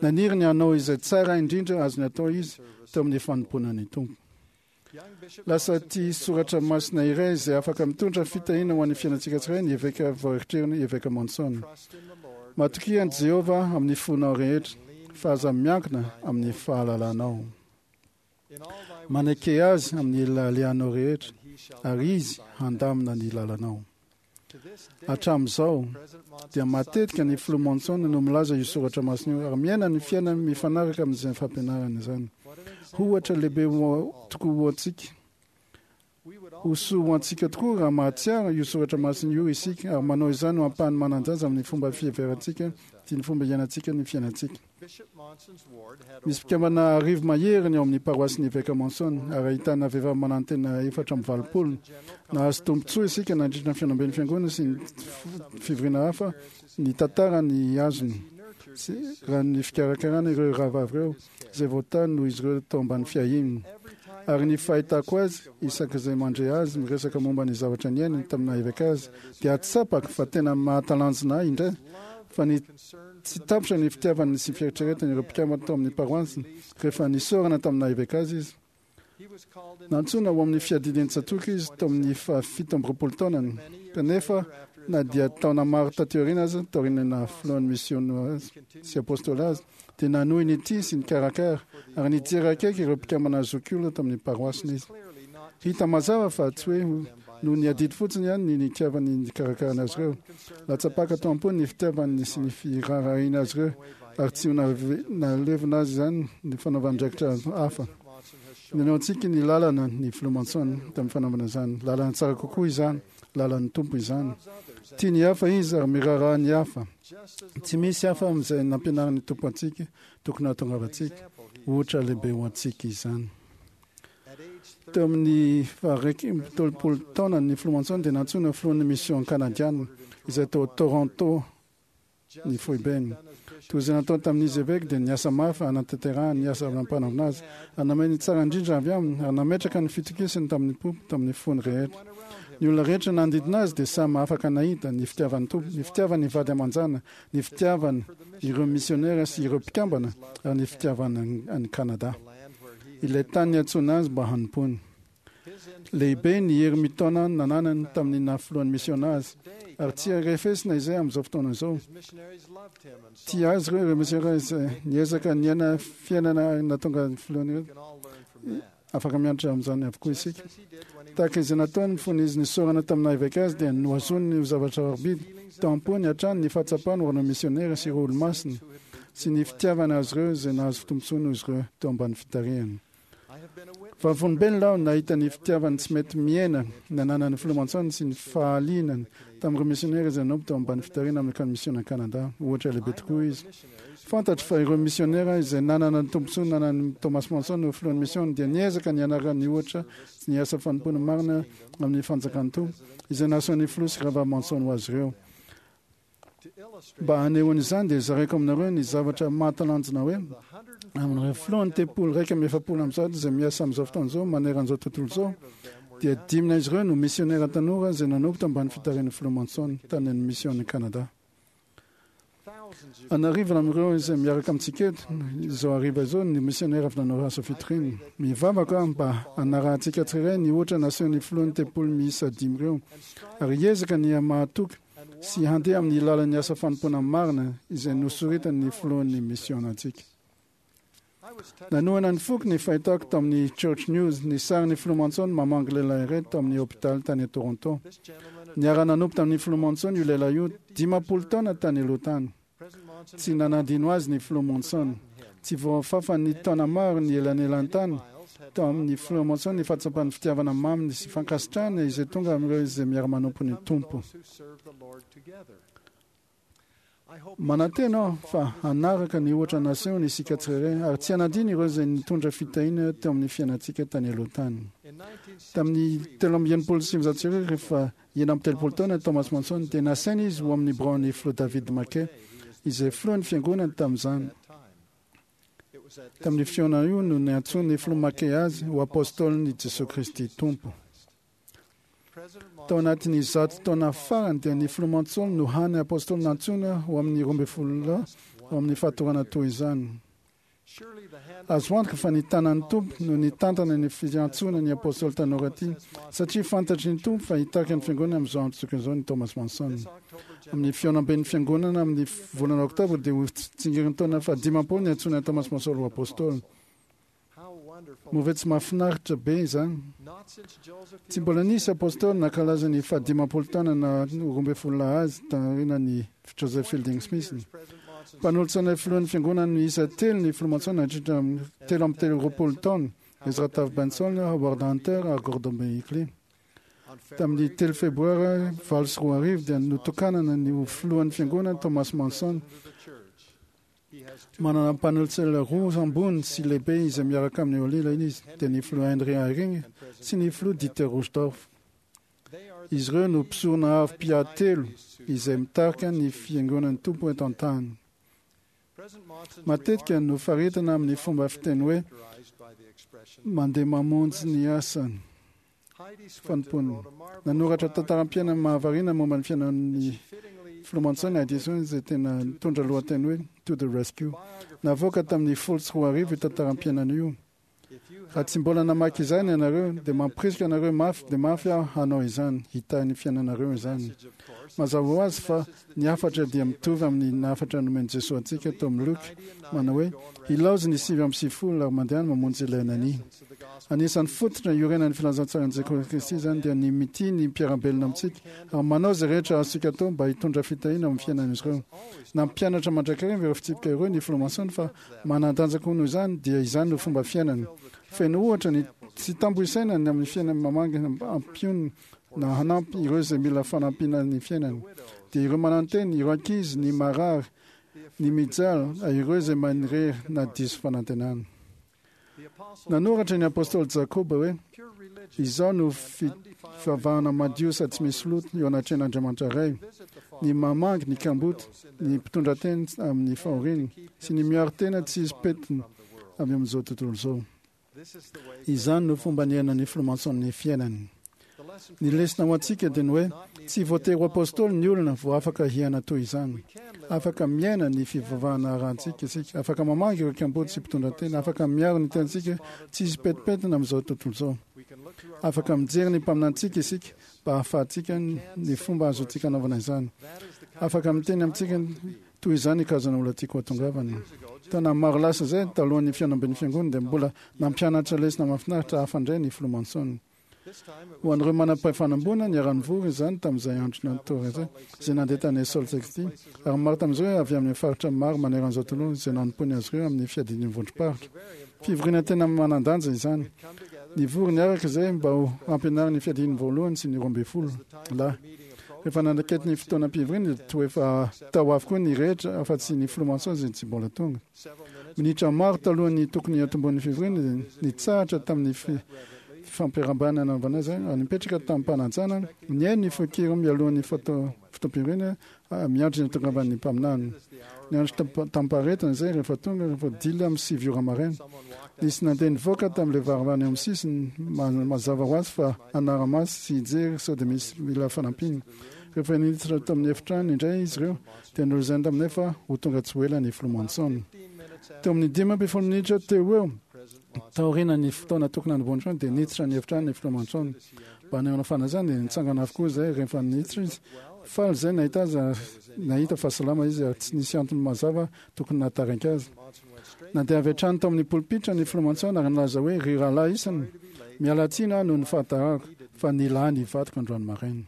Naniry ny hanao izay tsara indrindra azony atao izy teo amin'ny fanompoana ny Tompo. Lasa tia soratra masina iray izay afaka mitondra fitahiana ho an'ny fiainantsika tsirairay ny eveka vao eritreriny, Eveka Monson. Matokia an'i Jehovah amin'ny fonao rehetra, fa aza miankina amin'ny fahalalanao. Maneke azy amin'ny alehanao rehetra, ary izy handamina ny lalanao. Hatramin'izao dia matetika ny filoha Monson no milaza io soratra masina io ary miaina ny fiainany mifanaraka amin'izany fampianarana izany. Ohatra lehibe tokoa ho antsika. Ho soa ho antsika tokoa raha mahatsiaro io soratra masina io isika ary manao izany ho ampahany manan-danja amin'ny fomba fiheverantsika sy ny fomba iainantsika ny fiainantsika. Misy mpikambana arivo mahery ny ao amin'ny paroasin'ny Eveka Monson ary ahitana vehivavy manantena 84. Nahazo tombontsoa isika nandritra ny fihaonamben'ny Fiangonana sy ny fivoriana hafa nitantara ny azony sy raha ny fikarakarana ireo rahavavy ireo izay voatahy noho izy ireo tao ambany fiahiany. Ary ny fahitako azy, isak'izay mandre azy miresaka momba ny zavatra niainany tamin'ny naha-eveka azy, dia tsapako fa tena mahatalanjona ahy indray fa ny Tsy tapitra ny fitiavany sy fieritreretany ireo mpikambana tao amin'ny paroasiny rehefa nisaorana tamin'ny naha-eveka azy izy. Nantsoina ho amin'ny fiadidian'ny tsatòka izy tao amin'ny faha-27 taonany, kanefa na dia taona maro taty aoriana aza, taorian'ny naha-filohan'ny misiôna azy sy apôstôly azy, dia nanohy nitia sy nikarakara ary nijery akaiky ireo mpikambana zokiolona tao amin'ny paroasiny izy. Hita mazava fa tsy hoe noho ny adidy fotsiny ihany ny nitiavany nikarakarana azy ireo. Latsa-paka tao am-pony ny fitiavany sy ny firaharahiana azy ireo, ary tsy ho nahalevona azy izany ny fanaovana andraikitra hafa. Nanao antsika ny lalana ny Filoha Monson tamin'ny fanaovana izany. Lalana tsara kokoa izany, lalan'ny Tompo izany. Tia ny hafa izy ary miraharaha ny hafa. Tsy misy hafa amin'izay nampianarin'ny Tompo antsika tokony hahatongavantsika. Ohatra lehibe ho antsika izany. Teo amin'ny faha-31 taonany, ny Filoha Monson dia nantsoina ho filohan'ny Mission Kanadiana, izay tao Toronto ny foibeny. Toy izay nataony tamin'izy eveka, dia niasa mafy hanatanterahany ny asa nampanaovina azy, ary namay ny tsara indrindra avy aminy, ary nametraka ny fitokisany tamin'ny Tompo tamin'ny fony rehetra. Ny olona rehetra nanodidina azy dia samy afaka nahita ny fitiavan'ny Tompo, ny fitiavany ny vady aman-janany, ny fitiavany ireo misionera sy ireo mpikambana, ary ny fitiavany an'i Kanada. Ilay tany niantsoana azy mba hanompoany. Lehibe ny hery mitaona nananany tamin'ny naha filohan'ny misiona azy, ary tsy hay refesina izay amin'izao fotoana izao. Tia azy ireo ireo misionera izay niezaka niaina fiainana nahatonga ny filohany ireo. Afaka mianatra amin'izany avokoa isika. Tahaka izay nataony fony izy nisaorana tamin'ny naha eveka azy, dia nohazoniny ho zavatra sarobidy tao am-pony hatrany ny fahatsapany ho ireo misionera sy ireo olomasina, sy ny fitiavany azy ireo izay nahazo tombontsoa noho izy ireo teo ambany fitarihany. Vavolombelona aho nahita ny fitiavany tsy mety mihena nananan'ny Filoha Monson sy ny fahalianany tamin'ireo misionera izay nanompo teo ambany fitarihana amin'ny Akany Misiona Canada. Ohatra lehibe tokoa izy. Fantatro fa ireo misionera izay nanana ny tombontsoa nanan'i Thomas Monson ho filohan'ny misiona dia niezaka ny hanaraka ny ohatra sy ny asa fanompoana marina amin'ny fanjakan'ny Tompo izay nasehon'ny Filoha sy Rahavavy Monson ho azy ireo. Mba hanehoana izany dia zaraiko aminareo ny zavatra mahatalanjona hoe amin'ireo filohan'ny tempoly 141 izay miasa amin'izao fotoana izao manerana izao tontolo izao dia dimy izy ireo no misionera tanora izay nanompo tambany fitarihan'ny filoha Monson tany amin'ny mision'ny Canada. An'arivony amin'ireo izay miaraka amintsika eto izao hariva izao ny misionera avy nanao asa fitoriana. Mivavaka aho mba hanarahantsika tsirairay ny ohatra nasehon'ny filohan'ny tempoly miisa dimy ireo ary hiezaka ny hamahatoky sy handeha amin'ny lalan'ny asa fanompoana marina izay nosoritan'ny filohan'ny misionantsika. Nanohana ny foko ny fahitako tamin'ny Church News ny sarin'ny filoha Monson mamangy lehilahy iray tao amin'ny hopitaly tany Toronto. Niara-nanompo tamin'ny filoha Monson io lehilahy io 50 taona tany aloha tany. Tsy nanadino azy ny filoha Monson. Tsy voafafan'ny taona maro ny elanelan-tany tao amin'ny filoha Monson ny fahatsapan'ny fitiavana maminy sy fankasitrahana izay tonga amin'ireo izay miara-manompo ny Tompo. Manantena aho fa hanaraka ny ohatra nasehony isika tsirairay ary tsy hanadino ireo izay nitondra fitahiana teo amin'ny fiainantsika tany aloha tany. Tamin'ny 1963, rehefa 36 taona i Thomas Monson, dia nasaina izy ho amin'ny biraon'ny Filoha David McKay, izay filohan'ny Fiangonana tamin'izany. Tamin'io fihaonana io no niantsoan'ny Filoha McKay azy ho Apôstôlin'i Jesoa Kristy Tompo. Tao anatin'ny zato taona farany dia ny Filoha Monson no hany Apôstôly nantsoina ho amin'ny 12 lahy ao amin'ny fatorana toy izany. Azo antoka fa ny tanan'ny Tompo no nitantana ny fiantsoana ny Apôstôly tanora ity, satria fantatry ny Tompo fa hitarika ny Fiangonana amin'izao andro tokony izao ny Thomas Monson. Amin'ny fihaonamben'ny Fiangonana amin'ny volana Oktobra dia ho tsingerintaona faha-50 niantsoana an'i Thomas Monson ho Apôstôly. Moa ve tsy mahafinaritra be izany? Tsy mbola nisy apôstôly nankalaza ny faha-50 taona na 12 lahy azy taorianan'i Joseph Fielding Smith. Mpanolotsaina filohan'ny fiangonana miisa telo ny filoha Monson nandritra ny 33 taona, Ezra Taft Benson, Howard Hunter ary Gordon B. Hinckley. Tamin'ny 3 Febroary 2008 dia notokanana ny ho filohan'ny fiangonana Thomas Monson. Manana mpanolotsaina roa ambony sy lehibe izay miaraka amin'ny Olila izy, dia ny filoha Henry Eyring sy ny filoha Dieter Uchtdorf. Izy ireo no mpisorona avo mpiahy telo izay mitarika ny fiangonan'ny Tompo eto an-tany. Matetika no faritana amin'ny fomba fiteny hoe mandeha mamonjy ny asany fanompoana. Nanoratra tantaram-piainana mahavariana momba ny fiainan'ny filoha Monson i Heidi Swinton izay tena nitondra lohateny hoe To the Rescue. Navoaka tamin'ny 2010 io tantaram-piainana io. Raha tsy mbola namaky izany ianareo, dia mampirisika anareo mafy dia mafy aho hanao izany, hitahy ny fiainanareo izany. Mazava ho azy fa ny hafatra dia mitovy amin'ny hafatra nomen'i Jesoa antsika tao amin'ny Lioka, manao hoe, Ilaozy ny 99 ary mandehana mamonjy ilay nania. Anisan'ny fototra iorenan'ny filazantsaran'i Jesoa Kristy izany dia ny mitia ny mpiara-belona amintsika ary manao izay rehetra azontsika atao mba hitondra fitahiana ao amin'ny fiainan'izy ireo. Nampianatra mandrakariva ireo fitsipika ireo ny Filoha Monson fa manan-danja koa noho izany dia izany no fomba fiainany. Feno ohatra ny tsy tambo isaina ny amin'ny fiainany mamangy hampionona na hanampy ireo izay mila fanampiana ny fiainany. Dia ireo manantena, ireo ankizy, ny marary, ny mijaly, ireo izay manirery na diso fanantenana. Nanoratra ny apostoly Jakoba hoe, Izao no fivavahana madio sady tsy misy loto eo anatrehan'Andriamanitra Ray, ny mamangy ny kamboty, ny mpitondra tena amin'ny fahoriana, sy ny miaro tena tsy hisy pentina avy amin'izao tontolo izao. Izany no fomba niainan'ny filoha Monson ny fiainany. Ny lesona ho antsika dia ny hoe tsy voatery ho apostoly ny olona vao afaka hiaina toy izany. Afaka miaina ny fivavahana arahantsika isika, afaka mamangy ireo kamboty sy mpitondra tena, afaka miaro ny tenantsika tsy hisy pentimpentina amin'izao tontolo izao. Afaka mijery ny mpaminanintsika isika mba hahafahantsika ny fomba azontsika anaovana izany. Afaka miteny amintsika toy izany ny karazana olona tiako hahatongavana. Taona maro lasa izay, talohan'ny fihaonamben'ny fiangonana, dia mbola nampianatra lesona mahafinaritra hafa indray ny filoha Monson. Ho an'ireo manam-pahefana ambony, niara-nivory izany tamin'izay andro natory izay, izay nandeha tany Salt Lake City, ary maro tamin'izy ireo avy amin'ny faritra maro manerana izao tontolo izay nanompoany azy ireo amin'ny fiadian'ny vondrom-paritra. Fivoriana tena manan-danja izany. Nivory niaraka izay mba ho hampianarina ny fiadian'ny voalohany sy ny 12 lahy. Rehefa nanakaiky ny fotoanam-pivoriana dia toa efa tao avokoa ny rehetra afa-tsy ny filoha Monson izay tsy mbola tonga. Minitra maro talohan'ny tokony hiantombohan'ny fivoriana dia nitsahatra tamin'ny fifampiarahabana nanaovana azy ary nipetraka tamim-panajana nihaino ny feon-kira mialohan'ny fotoam-pivoriana miandry ny hatongavan'ny mpaminany. Niandry tamim-paharetana izay rehefa tonga rehefa dila amin'ny 9 ora maraina. Nisy nandeha nivoaka tamin'ilay varavarana eo amin'ny sisiny, mazava ho azy fa hanara-maso sy hijery sao dia misy mila fanampiana. Rehefa niditra tamin'ny efitrano indray izy ireo dia nolazainy taminay fa ho tonga tsy ho ela ny filoha Monson. Teo amin'ny 15 minitra teo ho eo, taorian'ny fotoana tokony hanombohana trano, dia niditra ny efitrano ny filoha Monson. Mba hanehoana fanajana dia nitsangana avokoa izahay rehefa niditra izy. Faly izahay nahita azy ary nahita fa salama izy ary tsy nisy antony mazava tokony nahatarainka azy. Nandeha avy hatrany tao amin'ny polipitra ny filoha Monson ary nilaza hoe, Ry rahalahy isany, miala tsiny aho noho ny fahatarako, fa nila ahy ny vadiko androany maraina.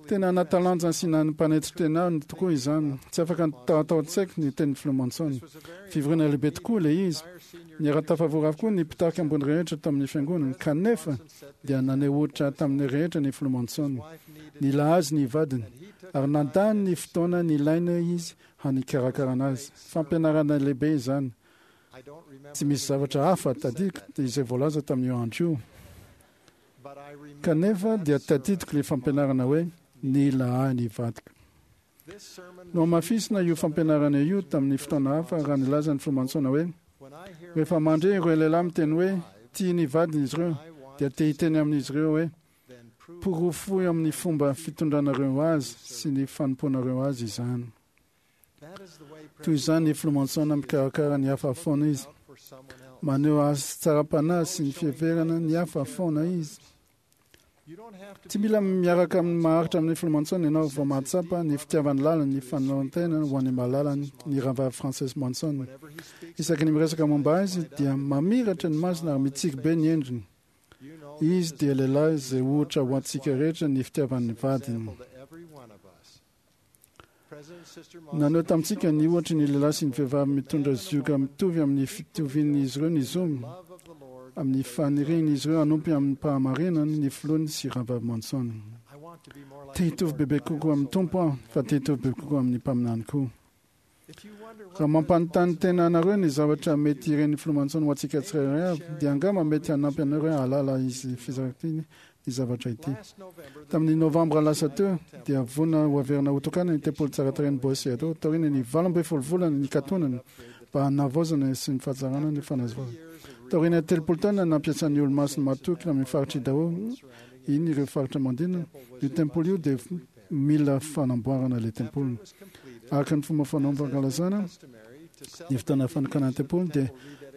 Tena nahatalanjona sy nampanetry tena ahy tokoa izany. Tsy afaka tao an-tsaiko ny tenin'ny filoha Monson. Fivoriana lehibe tokoa ilay izy. Niara-tafavory avokoa ny mpitarika ambony rehetra tamin'ny fiangonana, kanefa dia naneho ohatra tamin'ny rehetra ny filoha Monson. Nila azy ny vadiny, ary nandany ny fotoana nilaina izy hanikarakarana azy. Fampianarana lehibe izany. Tsy misy zavatra hafa tadidiko izay voalaza tamin'io andro io. Kanefa dia tadidiko ilay fampianarana hoe nila ahy ny vadiko. Nohamafisina io fampianarana io tamin'ny fotoana hafa raha nilaza ny filoha Monson hoe, Rehefa mandre ireo lehilahy miteny hoe tia ny vadiny izy ireo, dia te hiteny amin'izy ireo hoe, Porofoy amin'ny fomba fitondranareo azy sy ny fanompoanareo azy izany. Toy izany ny filoha Monson mikarakara ny hafa foana izy. Maneho hatsaram-panahy sy ny fiheverana ny hafa foana izy. Tsy mila miaraka amin'ny maharitra amin'ny Filoha Monson ianao vao mahatsapa ny fitiavany lalina ny fanoloran-tena ho an'ny malalany, ny Rahavavy Frances Monson. Isaky ny miresaka momba azy dia mamiratra ny masony ary mitsiky be ny endriny. Izy dia lehilahy izay ohatra ho antsika rehetra ny fitiavan'ny vadiny. Naneho tamintsika ny ohatry ny lehilahy sy ny vehivavy mitondra zioga mitovy amin'ny fitovian'izy ireo ny zony, amin'ny fanirian'izy ireo hanompy amin'ny fahamarinana ny filohany sy Rahavavy Monson. Te hitovy bebe kokoa amin'ny Tompo aho, fa te hitovy bebe kokoa amin'ny mpaminany koa. Raha mampanontany tena anareo ny zavatra mety iren'ny Filoha Monson ho antsika tsirairay avy, dia angamba mety hanampy anareo hahalala izy fizarantiny ny zavatra ity. Tamin'ny Novambra lasa teo, dia vonona ho averina hotokanana ny tempoly tsara tarehin'i Boise Idaho taorian'ny 18 volana nikatonana mba hanavaozana sy ny fahatsarana ny fanazavana. Taorian'ny 30 taona nampiasan'ny Olomasina matoky amin'ny faritr'i Idaho iny ireo faritra manodidina, io tempoly io dia mila fanamboarana ilay tempoly. Araka ny fomba fanao fankalazana ny fotoana fanokanana tempoly dia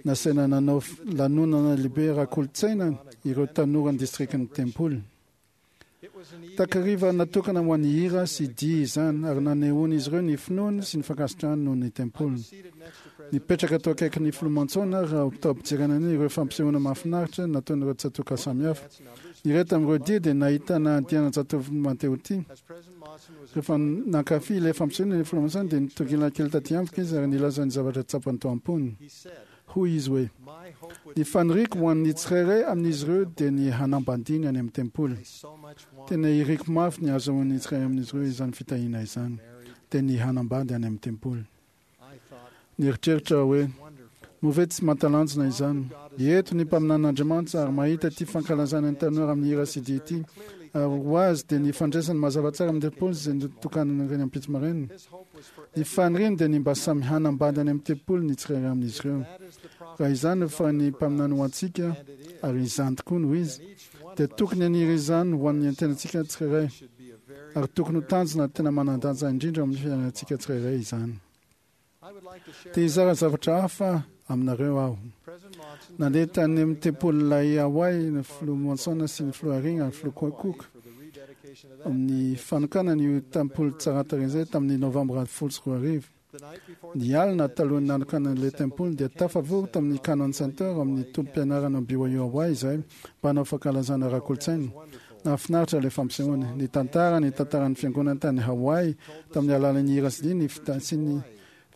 nasaina nanao lanonana lehibe ara-kolontsaina ireo tanoran'ny distrikan'ny tempoly. Takariva natokana ho an'ny hira sy dihy izany ary nanehoan'izy ireo ny finoany sy ny fankasitrahany noho ny tempoly. Nipetraka tao akaikin'ny Filoha Monson aho raha tao am-pijerena ireo fampisehoana mahafinaritra nataon'ireo tsatòka samihafa. Ny iray tamin'ireo dia dia nahitana andiana zatovo mantehotia. Rehefa nankafy ilay fampisehoana ny Filoha Monson dia nitongilana kely taty amiko izy ary nilaza ny zavatra tsapany tao am-pony. Hoy izy hoe, Ny faniriako ho an'ny tsirairay amin'izy ireo dia ny hanambadiany any amin'ny tempoly. Tena iriko mafy ny hahazoan'ny tsirairay amin'izy ireo izany fitahiana izany, dia ny hanambady any amin'ny tempoly. Nieritreritra aho hoe, Moa ve tsy mahatalanjona izany? Eto ny mpaminanin'Andriamanitra ary mahita ity fankalazana ny tanora amin'ny hira sy dihy ity, ary ho azy dia ny fandraisany mazava tsara amin'ny tempoly izay notokanana ireny ampitso maraina. Ny faniriany dia ny mba samy hanambady any amin'ny tempoly ny tsirairay amin'izy ireo. Raha izany no faran'ny mpaminany ho antsika, ary izany tokoa no izy, dia tokony haniry izany ho an'ny tenantsika tsirairay, ary tokony ho tanjona tena manan-danja indrindra amin'ny fiainantsika tsirairay izany. Te hizara zavatra hafa aminareo aho. Nandeha tany amin'ny tempolin'ilay Hawaii ny Filoha Monson sy ny Filoha Eyring ary Filoha Cook amin'ny fanokanana io tempoly tsara tarehy izay tamin'ny Novambra 2010. Ny alina talohan'ny nanokanana ilay tempoly dia tafavory tamin'ny Cannon Center amin'ny tobim-pianarana BYU Hawaii izahay mba hanao fankalazana ara-kolontsaina. Nahafinaritra ilay fampisehoana. Nitantara ny tantaran'ny fiangonana tany Hawaii tamin'ny alalan'ny hira sy dihy ny sy ny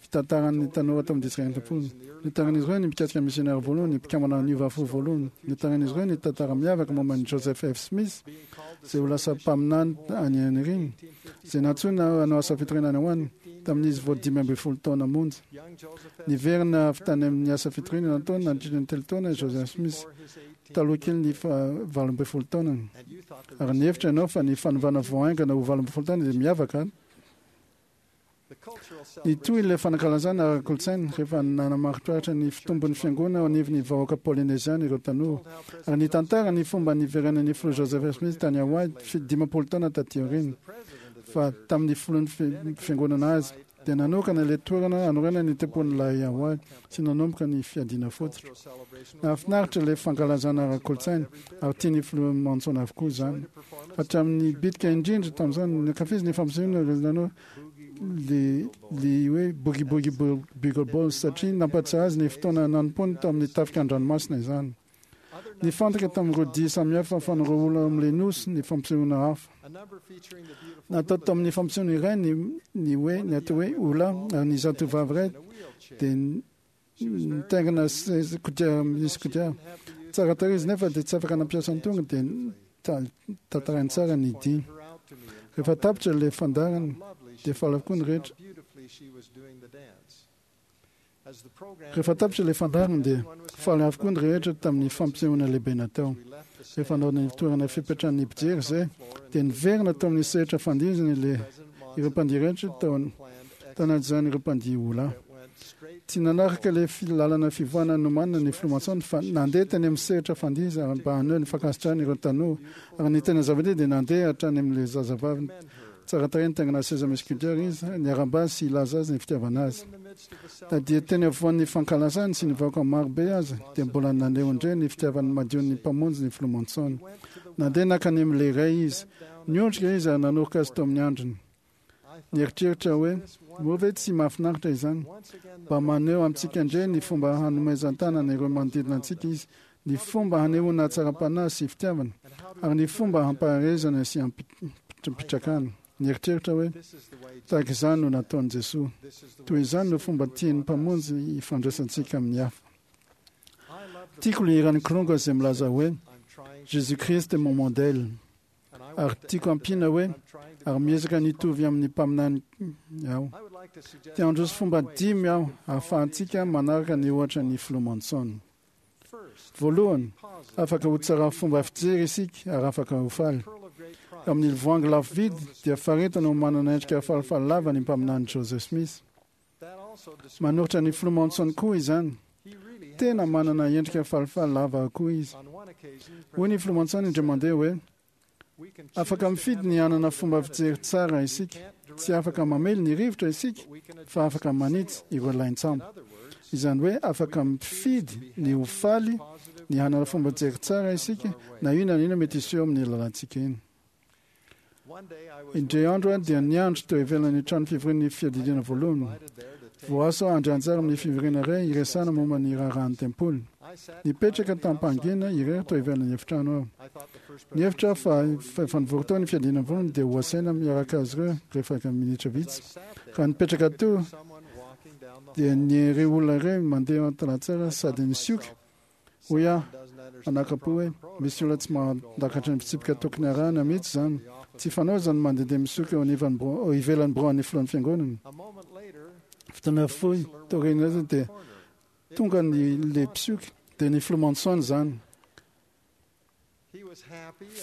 fitantaran'ny tanora tao amin'ny distrikan'ny tempoly. Notantarain'izy ireo ny mikasika ny misionera voalohany, ny mpikambana niova fo voalohany. Notantarain'izy ireo ny tantara miavaka momba an'i Joseph F. Smith, izay ho lasa mpaminany any aoriana, izay nantsoina hanao asa fitoriana any ho any, tamin'izy vao 15 taona monja. Niverina avy tany amin'ny asa fitoriana nataony nandritra ny telo taona i Joseph Smith, taloha kelin'ny faha-18 taonany. Ary nihevitra ianao fa ny fanovana vao haingana ho 18 taona dia miavaka? Nitohy ilay fanankalazana ara-kolontsaina rehefa nanamaritraritra ny fitombon'ny fiangonana eo anivon'ny vahoaka Polyneziana ireo tanora, ary nitantara ny fomba niverenan'ny Filoha Joseph Smith tany Hawaii 50 taona taty aoriana, fa tamin'ny filohan'ny fiangonana azy, dia nanokana ilay toerana hanorenana ny tempolin'ilay Hawaii sy nanomboka ny fiadiana fototra. Nahafinaritra ilay fankalazana ara-kolontsaina ary tian'ny Filoha Monson avokoa izany. Hatramin'ny bitika indrindra tamin'izany, nankafiziny ny fampisehoana ireo nanao le le hoe Boogie Boogie Bugle Balls satria nampahatsiahy azy ny fotoana nanompoany tao amin'ny tafika an-dranomasina izany. Nifantoka tamin'ireo dihy samihafa fan'ireo olona ao amin'ilay nosy ny fampisehoana hafa. Natao tamin'ny fampisehoana iray ny ny hoe ny atao hoe hula ary ny zatovavy iray dia nitaingina kodiarana misy kodiarana. Tsara tarehy izy nefa dia tsy afaka nampiasa ny tongony dia tantarainy tsara ny dihy. Rehefa tapitra ilay fandaharana dia faly avokoa ny rehetra. Rehefa tapitra ilay fandaharana dia faly avokoa ny rehetra tamin'ny fampisehoana lehibe natao. Rehefa nanao ny toerana fipetrahan'ny mpijery izay dia niverina tao amin'ny sehatra fandihizana ilay ireo mpandihy rehetra tao anatin'izany ireo mpandihy hula. Tsy nanaraka ilay lalana fivoahana nomanina ny Filoha Monson fa nandeha teny amin'ny sehatra fandihizana mba haneho ny fankasitrahany ireo tanora. Ary ny tena zava-dehibe dia nandeha hatrany amin'ilay zazavavy. Tsara tarehy nitaingina seza misy kodiara izy, niarahaba azy sy hilaza azy ny fitiavana azy. Na dia teny afovoan'ny fankalazany sy ny vahoaka maro be aza, dia mbola naneho indray ny fitiavany madion'ny Mpamonjy ny Filoha Monson. Nandeha nankany amin'ilay ray izy. Niondrika izy ary nanoroka azy teo amin'ny andriny. Nieritreritra hoe, Moa ve tsy mahafinaritra izany? Mba maneho amintsika indray ny fomba hanomezan-tanana ireo manodidina antsika izy, ny fomba hanehoana hatsaram-panahy sy fitiavana, ary ny fomba hampaherezana sy hampitrakana. Nieritreritra hoe, Tahaka izany no nataon'i Jesoa. Toy izany no fomba tian'ny Mpamonjy hifandraisantsika amin'ny hafa. Tiako ilay hiran'ny Kilonga izay milaza hoe, Jésus Christ est mon modèle. Ary tiako ampiana hoe, ary miezaka ny hitovy amin'ny mpaminany aho. Te handroso fomba dimy aho ahafahantsika manaraka ny ohatra ny Filoha Monson. Voalohany, afaka ho tsara fomba fijery isika ary afaka ho faly. Amin'ny voangy lafo vidy dia faritana ho manana endrika falifaly lava ny mpaminany Joseph Smith. Manoritra ny Filoha Monson koa izany. Tena manana endrika falifaly lava koa izy. Hoy ny Filoha Monson indray mandeha hoe, Afaka mifidy ny hanana fomba fijery tsara isika. Tsy afaka mamely ny rivotra isika, fa afaka manitsy ireo lain-tsambo. Izany hoe afaka mifidy ny ho faly, ny hanana fomba fijery tsara isika, na inona na inona mety hiseho amin'ny lalantsika eny. Indray andro aho dia niandry teo ivelan'ny trano fivorian'ny fiadidiana voalohany. Voaasa aho handray anjara amin'ny fivoriana iray hiresahana momba ny raharahan'ny tempoly. Nipetraka tamim-pahangina irery teo ivelan'ny efitrano aho. Nihevitra aho fa efa nivory tao ny fiadiana voalohany dia ho asaina miaraka azy ireo rehefa minitra vitsy. Raha nipetraka teo dia nireo olona ireo mandeha an-tanan-tsara sady nisioka. Hoy aho anakapo hoe, Misy olona tsy mahatakatra ny fitsipika tokony harahina mihitsy izany. Tsy fanao izany mandehandeha misioka eo anivan'ny birao, eo ivelan'ny biraon'ny filohan'ny fiangonana. Fotoana fohy taorian'izay dia tonga ny le mpisioka, dia ny filoha Monson izany.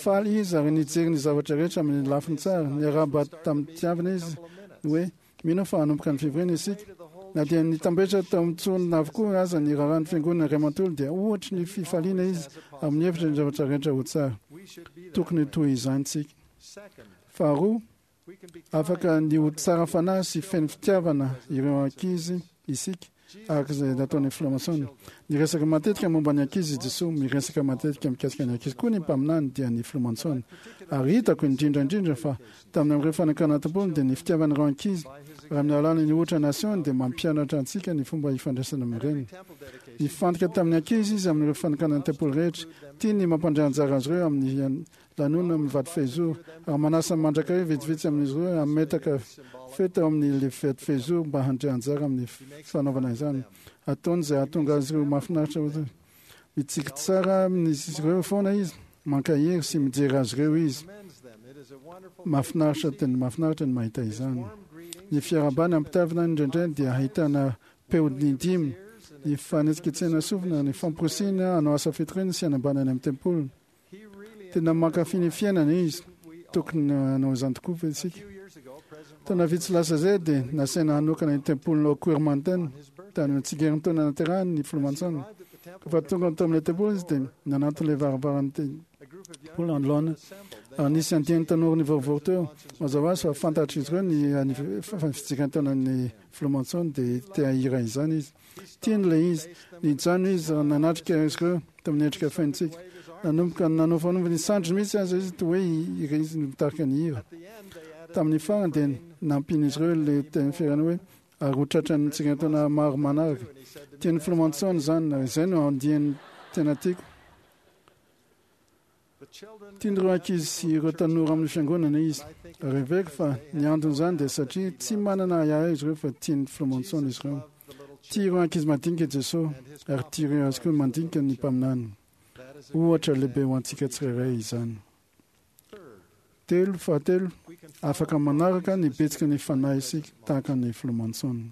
Faly izy ary nijery ny zavatra rehetra amin'ny lafiny tsara. Niarahaba tamin'ny-pitiavana izy hoe, Mino aho fa hanomboka ny fivoriana isika. Na dia nitambetra tao amin'ny tsonina avokoa aza ny raharahan'ny fiangonana iray manontolo dia ohatry ny fifaliana izy ary mihevitra ny zavatra rehetra ho tsara. Tokony ho toy izany isika. Faharoa, afaka ny ho tsara fanahy sy feno fitiavana ireo ankizy isika araka izay nataon'ny Filoha Monson. Niresaka matetika momba ny ankizy i Jesoa, miresaka matetika mikasika ny ankizy koa ny mpaminany dia ny Filoha Monson. Ary hitako indrindra indrindra fa tamin'ny amin'ireo fanakana tompony dia ny fitiavan'ireo ankizy raha amin'ny alalan'ny ohatra nasehony dia mampianatra antsika ny fomba ifandraisana amin'ireny. Nifantoka tamin'ny ankizy izy amin'ireo fanakana ny tempoly rehetra. Tiany ny mampandray anjara azy ireo amin'ny lanonana amin'ny vato fehizoro ary manasa mandrakariva vitsivitsy amin'izy ireo hametaka fety ao amin'ny vato fehizoro mba handray anjara amin'ny fanaovana izany. Ataony izay hahatonga azy ireo mahafinaritra ho mitsiky tsara amin'izy ireo foana izy, mankahery sy mijery azy ireo izy. Mahafinaritra tena mahafinaritra ny mahita izany. Ny fiarahabana ampitavina indraindray dia ahitana peo dimy, ny fanetsiketsehana sofina, ny famporisihina hanao asa fitoriana sy hanambana any amin'ny tempoly. Tena mankafy ny fiainana izy. Tokony hanao izany tokoa ve isika? Taona vitsy lasa izay dia nasaina hanokana ny tempolin'i Oquirrh Mountain tany amin'ny tsingerintaona naterahany ny Filoha Monson. Rehefa tonga tao amin'ilay tempoly izy dia nanantona ilay varavaran'ny tempoly anoloana ary nisy andiany tanora nivorivory teo. Mazava ho azy fa fantatr'izy ireo ny fitsingerin-taonan'ny Filoha Monson dia te hahira izany izy. Tiany ilay izy. Nijanona izy raha nanatrika azy ireo tamin'ny endrika feno tsiky. Nanomboka nanofanova ny sandriny mihitsy aza izy toa hoe iry izy no mitarika ny hira. Tamin'ny farany dia nampian'izy ireo ilay teny fierana hoe ary ho tratran'ny tsingerin-taona maro manaraka. Tian'ny Filoha Monson izany ary izay no andiany tena tiako. Tian'ireo ankizy sy ireo tanora amin'ny fiangonana izy. Ary heveriko fa ny anton'izany dia satria tsy manana ahiahy izy ireo fa tian'ny Filoha Monson izy ireo. Tia ireo ankizy madinika i Jesoa, ary tia ireo azy koa mandinika ny mpaminany. Ohatra lehibe ho antsika tsirairay izany. Telo, fahatelo, afaka manaraka ny betsiky ny Fanahy isika tahaka ny Filoha Monson.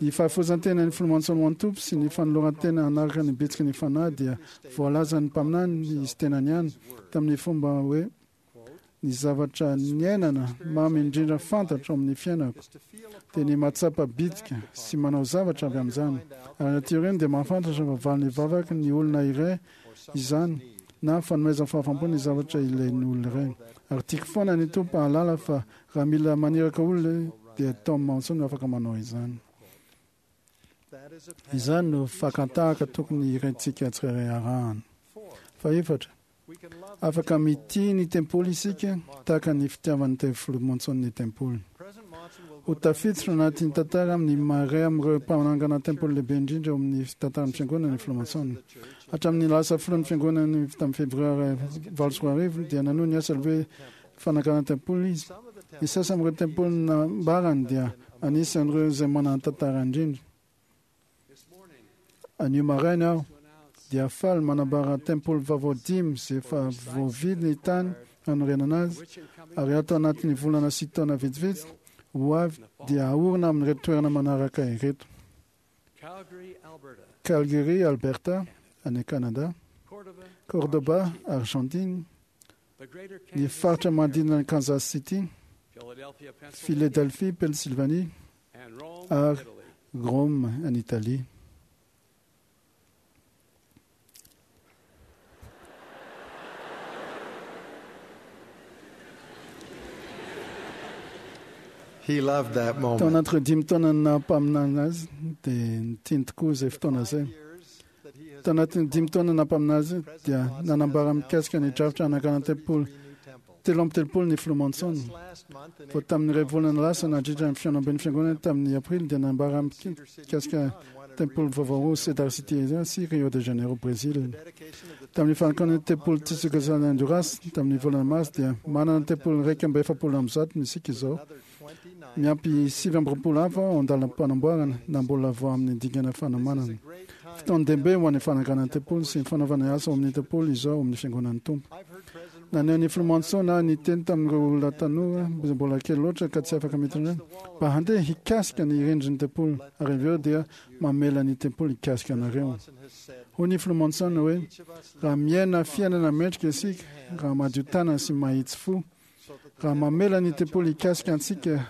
Ny fahafoizan-tenan'ny Filoha Monson ho an'ny Tompo sy ny fanoloran-tena hanaraka ny bitsiky ny Fanahy dia voalazan'ny mpaminany izy tenany ihany tamin'ny fomba hoe, Ny zavatra niainana mamy indrindra fantatro amin'ny fiainako dia ny mahatsapa bitsika sy manao zavatra avy amin'izany. Ary aty aoriana dia mahafantatra fa valin'ny vavaky ny olona iray izany. na fanomezana fahafaham-po ny zavatra ilain'ny olona iray. Ary tiako foana ny Tompo hahalala fa raha mila maniraka olona dia Tom Monson no afaka manao izany. Izany no fakan-tahaka tokony hiraintsika tsirairay arahana. Fahefatra, afaka mitia ny tempoly isika tahaka ny fitiavan'ny Tevy Filoha Monson ny tempoly. Ho tafiditra anatin'ny tantara amin'ny maha iray amin'ireo mpanangana tempoly lehibe indrindra eo amin'ny tantaran'ny Fiangonana ny Filoha Monson. Hatramin'ny lasa filohan'ny Fiangonana tamin'ny Febroary 2008 dia nanohy ny asa lehibe fananganana tempoly izy. Ny sasany amin'ireo tempoly nambarany dia anisan'ireo izay manan-tantara indrindra. Anio maraina aho dia faly manambara tempoly vaovao dimy izay efa voavidy ny tany hanorenana azy ary ato anatin'ny volana sy taona vitsivitsy ho avy dia haorina amin'ireto toerana manaraka ireto. Calgary, Alberta, any Canada, Cordoba, Argentine, ny faritra manodidina an'i Kansas City, Philadelphie, Pennsylvanie ary Rome any Italie. He loved that Tao moment. anatin'ireo dimy taona naha-mpaminany azy dia nitiany tokoa izay fotoana izay. Tao anatin'ny dimy taona naha-mpaminany azy dia nanambara mikasika ny drafitra hanangana tempoly 33 ny Filoha Monson. Vao tamin'ny iray volana lasa nandritra ny fihaonamben'ny fiangonana tamin'ny aprily dia nanambara mikasika tempoly vaovao roa Cedar City sy Rio de Janeiro, Brésil. Tamin'ny fanokanana ny tempoly Tisuka San Honduras tamin'ny volana marsa dia manana tempoly 141 isika izao, miampy 29 hafa ao an-dalam-panamboarana na mbola vao amin'ny dingana fanomanana. Fotoan-dehibe ho an'ny fananganana tempoly sy ny fanaovana asa ao amin'ny tempoly izao ao amin'ny fiangonan'ny Tompo. Naneho ny Filoha Monson aho niteny tamin'ireo olona tanora izay mbola kely loatra ka tsy afaka miditra mba handeha hikasika ny rindrin'ny tempoly ary avy eo dia mamela ny tempoly hikasika anareo. Hoy ny Filoha Monson hoe, raha miaina fiainana mendrika isika, raha madio tanana sy mahitsy fo, raha mamela ny tempoly hikasika antsika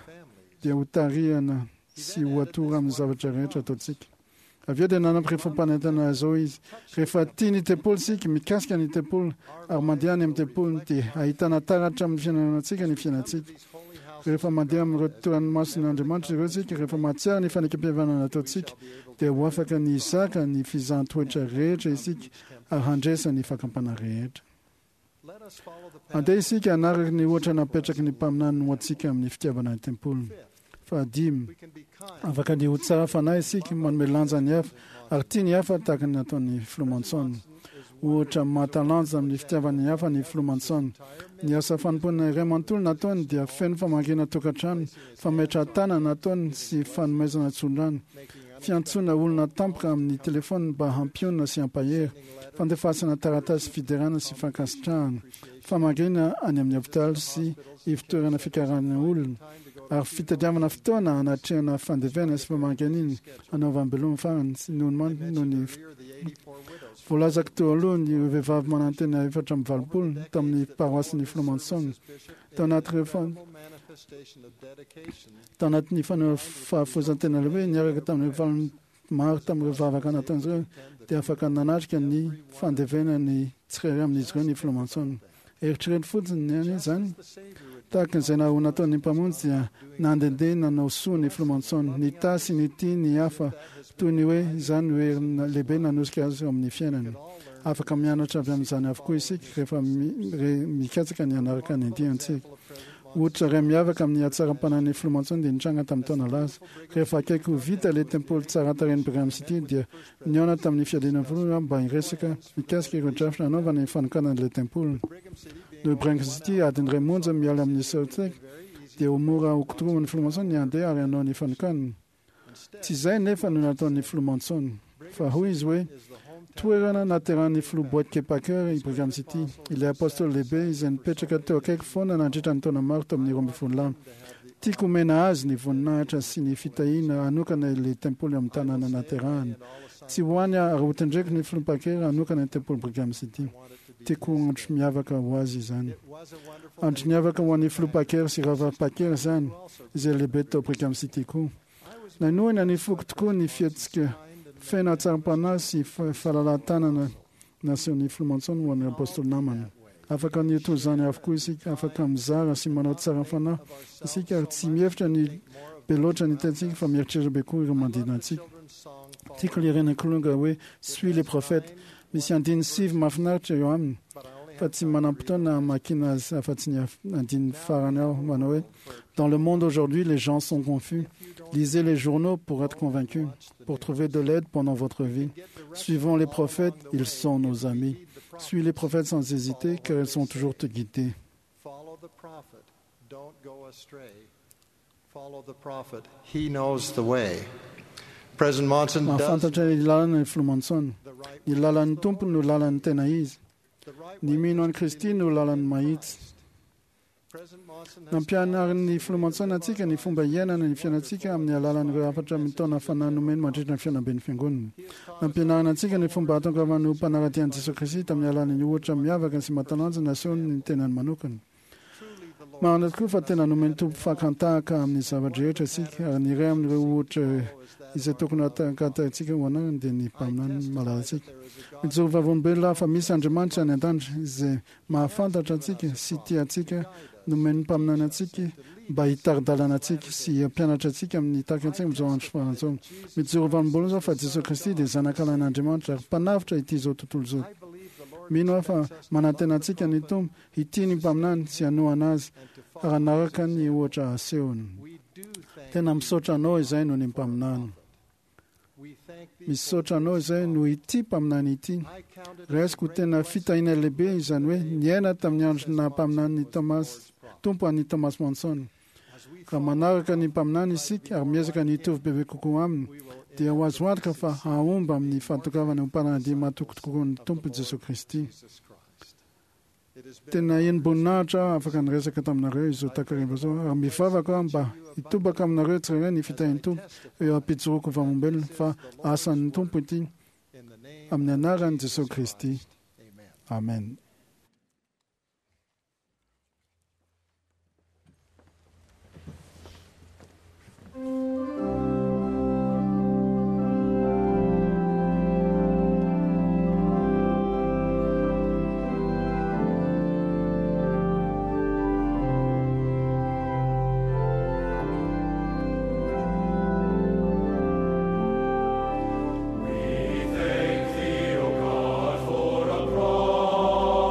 dia ho tarihana sy ho atoro amin'ny zavatra rehetra ataontsika. Avy eo dia nanampy fampanentana izao izy, rehefa tia ny tempoly isika, mikasika ny tempoly ary mandeha any amin'ny tempoly dia ahitana taratra amin'ny fiainanantsika ny fiainantsika. Rehefa mandeha amin'ireo toerana masin'Andriamanitra ireo isika, rehefa mahatsiaro ny fanekempihavanana nataontsika, dia ho afaka ny hizaka ny fizahan-toetra rehetra isika ary handresa ny fakam-panahy rehetra. Andeha isika hanaraka ny ohatra napetraky ny mpaminany ho antsika amin'ny fitiavana ny tempoly. Fahadimy, afaka ny ho tsara fanahy isika, manome lanja ny hafa ary tia ny hafa tahaka ny nataon'ny Filoha Monson. Ohatra mahatalanja amin'ny fitiavana ny hafa ny Filoha Monson. Ny asa fanompoana iray manontolo nataony dia feno famangiana tokantrano, fametrahan-tanana nataony sy fanomezana tsodrano, fiantsoana olona tampoka amin'ny telefaonina mba hampionona sy hampahery, fandefasana taratasy fiderana sy fankasitrahana, famangiana any amin'ny hopitaly sy ivon-toerana fikarahana olona, ary fitadiavana fotoana hanatrehana fandevenana sy famangiana hanaovam-beloma farany sy noho ny voalazako teo aloha ny vehivavy manantena 84 tamin'ny paroasin'ny Filoha Monson tao anatin'ireo tao anatin'ny fahafoizan-tena lehibe niaraka tamin'ireo valiny maro tamin'ireo vavaka nataon'izy ireo dia afaka nanatrika ny fandevenana ny tsirairay amin'izy ireo ny Filoha Monson. Eritrereto fotsiny ny any izany. Tahaka izay ho nataon'ny Mpamonjy dia nandehandeha nanao soa ny Filoha Monson, nitahy sy nitia ny hafa toy ny hoe izany no hery lehibe nanosika azy eo amin'ny fiainany. Afaka mianatra avy amin'izany avokoa isika rehefa mikatsaka ny hanaraka ny diantsika. Ohatra iray miavaka amin'ny hatsaram-panahin'ny Filoha Monson dia nitranga tamin'ny taona lasa. Rehefa akaiky ho vita ilay tempoly tsara tarehin'i Brigham City dia nihaona tamin'ny fiadiana voalohany aho mba hiresaka mikasika ireo drafitra hanaovana ny fanokanana ilay tempoly. Noho i Brigham City adiny iray monja miala amin'ny Salt Lake dia ho mora ho kotoroman'ny Filoha Monson ny handeha ary hanao ny fanokanana. Tsy izay nefa no nataon'ny Filoha Monson, fa hoy izy hoe, Toerana nahaterahan'ny Filoha Boyd K. Packer i Brigham City, ilay apostoly lehibe izay nipetraka teo akaiky foana nandritra ny taona maro tao amin'ny 12 lahy. Tiako homena azy ny voninahitra sy ny fitahiana hanokana ilay tempoly ao amin'ny tanàna nahaterahany. Tsy ho any aho ary hotendreko ny Filoha Packer hanokana ny tempoly Brigham City. Tiako ho andro miavaka ho azy izany. Andro niavaka ho an'ny Filoha Packer sy Rahavavy Packer izany, izay lehibe tao Brigham City koa. Nanohina ny foko tokoa ny fihetsika feno hatsaram-panahy sy fahalalahan-tanana Nasehon'ny Filoha Monson ho an'ireo Apôstôly namany. Afaka ny ho toy izany avokoa isika, afaka mizara sy manao tsara fanahy isika ary tsy mihevitra ny be loatra ny tenantsika fa mieritreritra be koa ireo manodidina antsika. Tiako ilay ren'ny kilonga hoe Suis les prophètes. Misy andininy sivy mahafinaritra eo aminy fa tsy manam-potoana hamakiana azy afa-tsy ny andininy farany ao manao hoe Dans le monde aujourd'hui, les gens sont confus. Lisez les journaux pour être convaincus, pour trouver de l'aide pendant votre vie. Suivons les prophètes, ils sont nos amis. Suis les prophètes sans hésiter, car ils sont toujours te guider. Follow the prophet. Don't go astray. Follow the prophet. He knows the way. President Monson does Mahafantatra ny lalana ny Filoha Monson. Ny lalan'ny Tompo no lalan'ny tena izy. Ny mino an'i Kristy no lalan'ny mahitsy. President Monson has Nampianarin'ny Filoha Monson antsika ny fomba iainana ny fiainantsika amin'ny alalan'ireo hafatra mitaona fanahy nomeny mandritra ny fihaonamben'ny Fiangonana. Nampianarina antsika ny fomba hahatongavana ho mpanara-dia an'i Jesoa Kristy tamin'ny alalan'ny ohatra miavaka sy mahatalanjona nasehony ny tenany manokana. Marina tokoa fa tena nomen'ny Tompo fakan-tahaka amin'ny zava-drehetra isika, ary ny iray amin'ireo ohatra izay tokony hatahakatantsika ho anarany dia ny mpaminany malalantsika. Mijoro vavolombelona aho fa misy Andriamanitra any an-danitra izay mahafantatra antsika sy tia antsika, nomen'ny mpaminany antsika mba hitari-dalana antsika sy hampianatra antsika amin'ny tahaka antsika amin'izao andro farany izao. Mijoro vavolombelona aho fa Jesoa Kristy dia Zanakalahin'Andriamanitra ary Mpanavotra ity izao tontolo izao. Mino aho fa manantena antsika ny Tompo hitia ny mpaminany sy hanohana azy ary hanaraka ny ohatra asehony. Tena misaotra anao izay noho ny mpaminany. Misaotra anao izay noho ity mpaminany ity. Raisiko ho tena fitahiana lehibe izany hoe niaina tamin'ny andro naha mpaminany ny Thomas, Tompo an'i Thomas Monson. Raha manaraka ny mpaminany isika ary miezaka ny hitovy bebe kokoa aminy, dia ho azo antoka fa hahomby amin'ny fahatongavana ho mpanara-dia mahatoky tokoa ny Tompo Jesoa Kristy. Tena henim-boninahitra aho afaka niresaka taminareo izao takariva izao ary mivavaka aho mba hitobaka aminareo tsirairay ny fitahian'ny Tompo eo am-pijoroako vavolombelona fa asan'ny Tompo ity amin'ny anaran'i Jesoa Kristy. Amen. We thank thee, O God, for a prophet.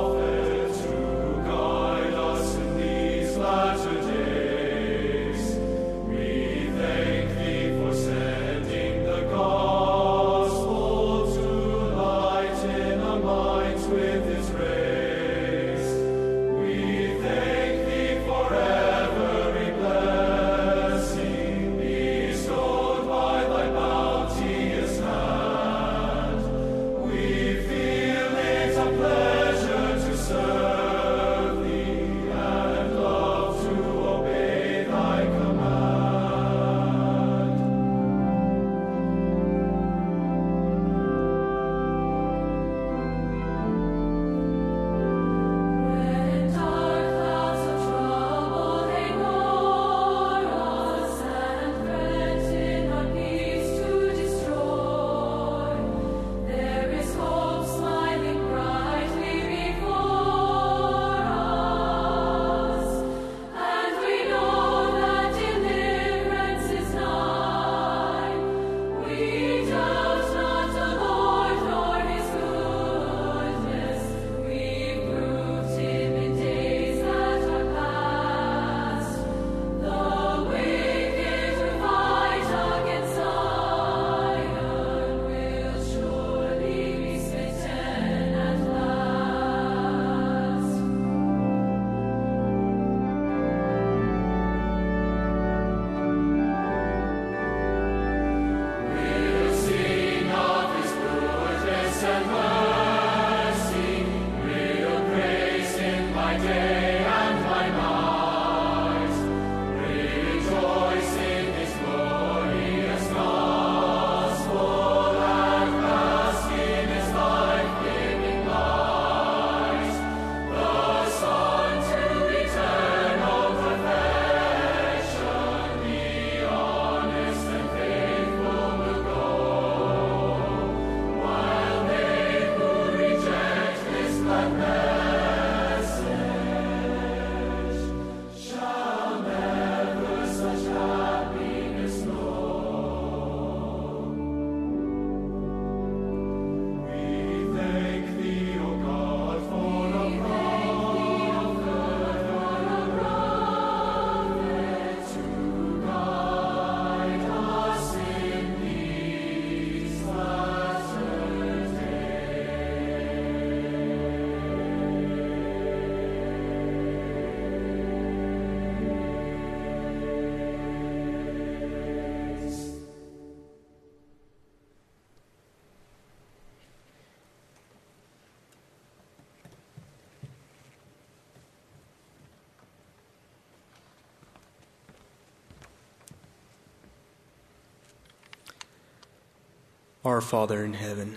Our Father in heaven,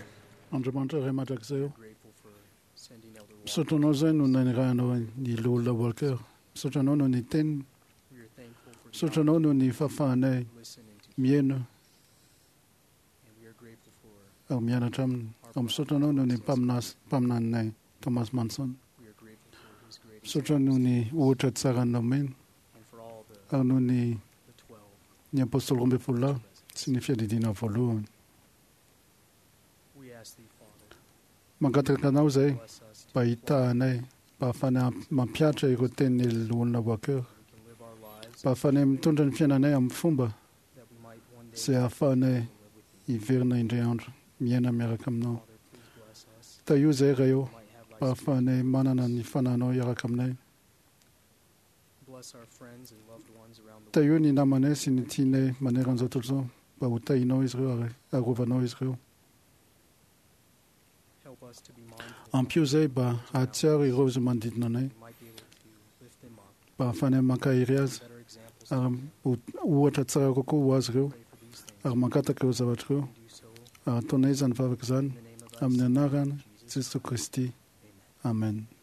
Andriamanitra Ray mandrakizay eo. grateful for sending Elder Walker. Misaotra anao izay no nanirahanao ny loholona Walker. Misaotra anao noho ny teniny. We are thankful for the Misaotra anao noho ny fahafahanay opportunity to listen and to hear, mihaino and we are grateful for ary mianatra aminy. Ary misaotra anao noho ny mpaminaninay Thomas Manson. we are grateful for his great Misaotra noho ny ohatra tsara nomeny and for all the, ary noho ny the 12 ny apôstôly 12 lahy sy ny fiadidiana voalohany. We ask thee, Father, Mangataka anao izay bless us to mba hitahanay mba hahafahanay mampihatra ireo tenin'ny loholona Walker. we can live our lives Mba hahafahanay mitondra ny fiainanay amin'ny fomba that we might one day izay hahafahanay live with thee. hiverina indray andro miaina miaraka aminao. Father, please bless us. Tahio izay Ray ô We might have mba thy hahafahanay manana ny fananao hiaraka aminay. Bless our friends and loved ones around the world. Tahio ny namanay sy ny tianay maneran'izao tontolo izao mba ho tahinao izy ireo ary arovanao izy ireo. Help us to be mindful Ampio izay mba hahatsiaro ireo izay manodidina anay we might be able to lift them up, mba hahafahanay mankahery azy better examples ary ho ohatra tsara kokoa ho azy ireo pray for these things ary mangataka ireo zavatra ireo and do so ary ataonay izany vavaka izany in the name of thy amin'ny Son, anarana Jesus Jesoa Kristy. Amen. Amen.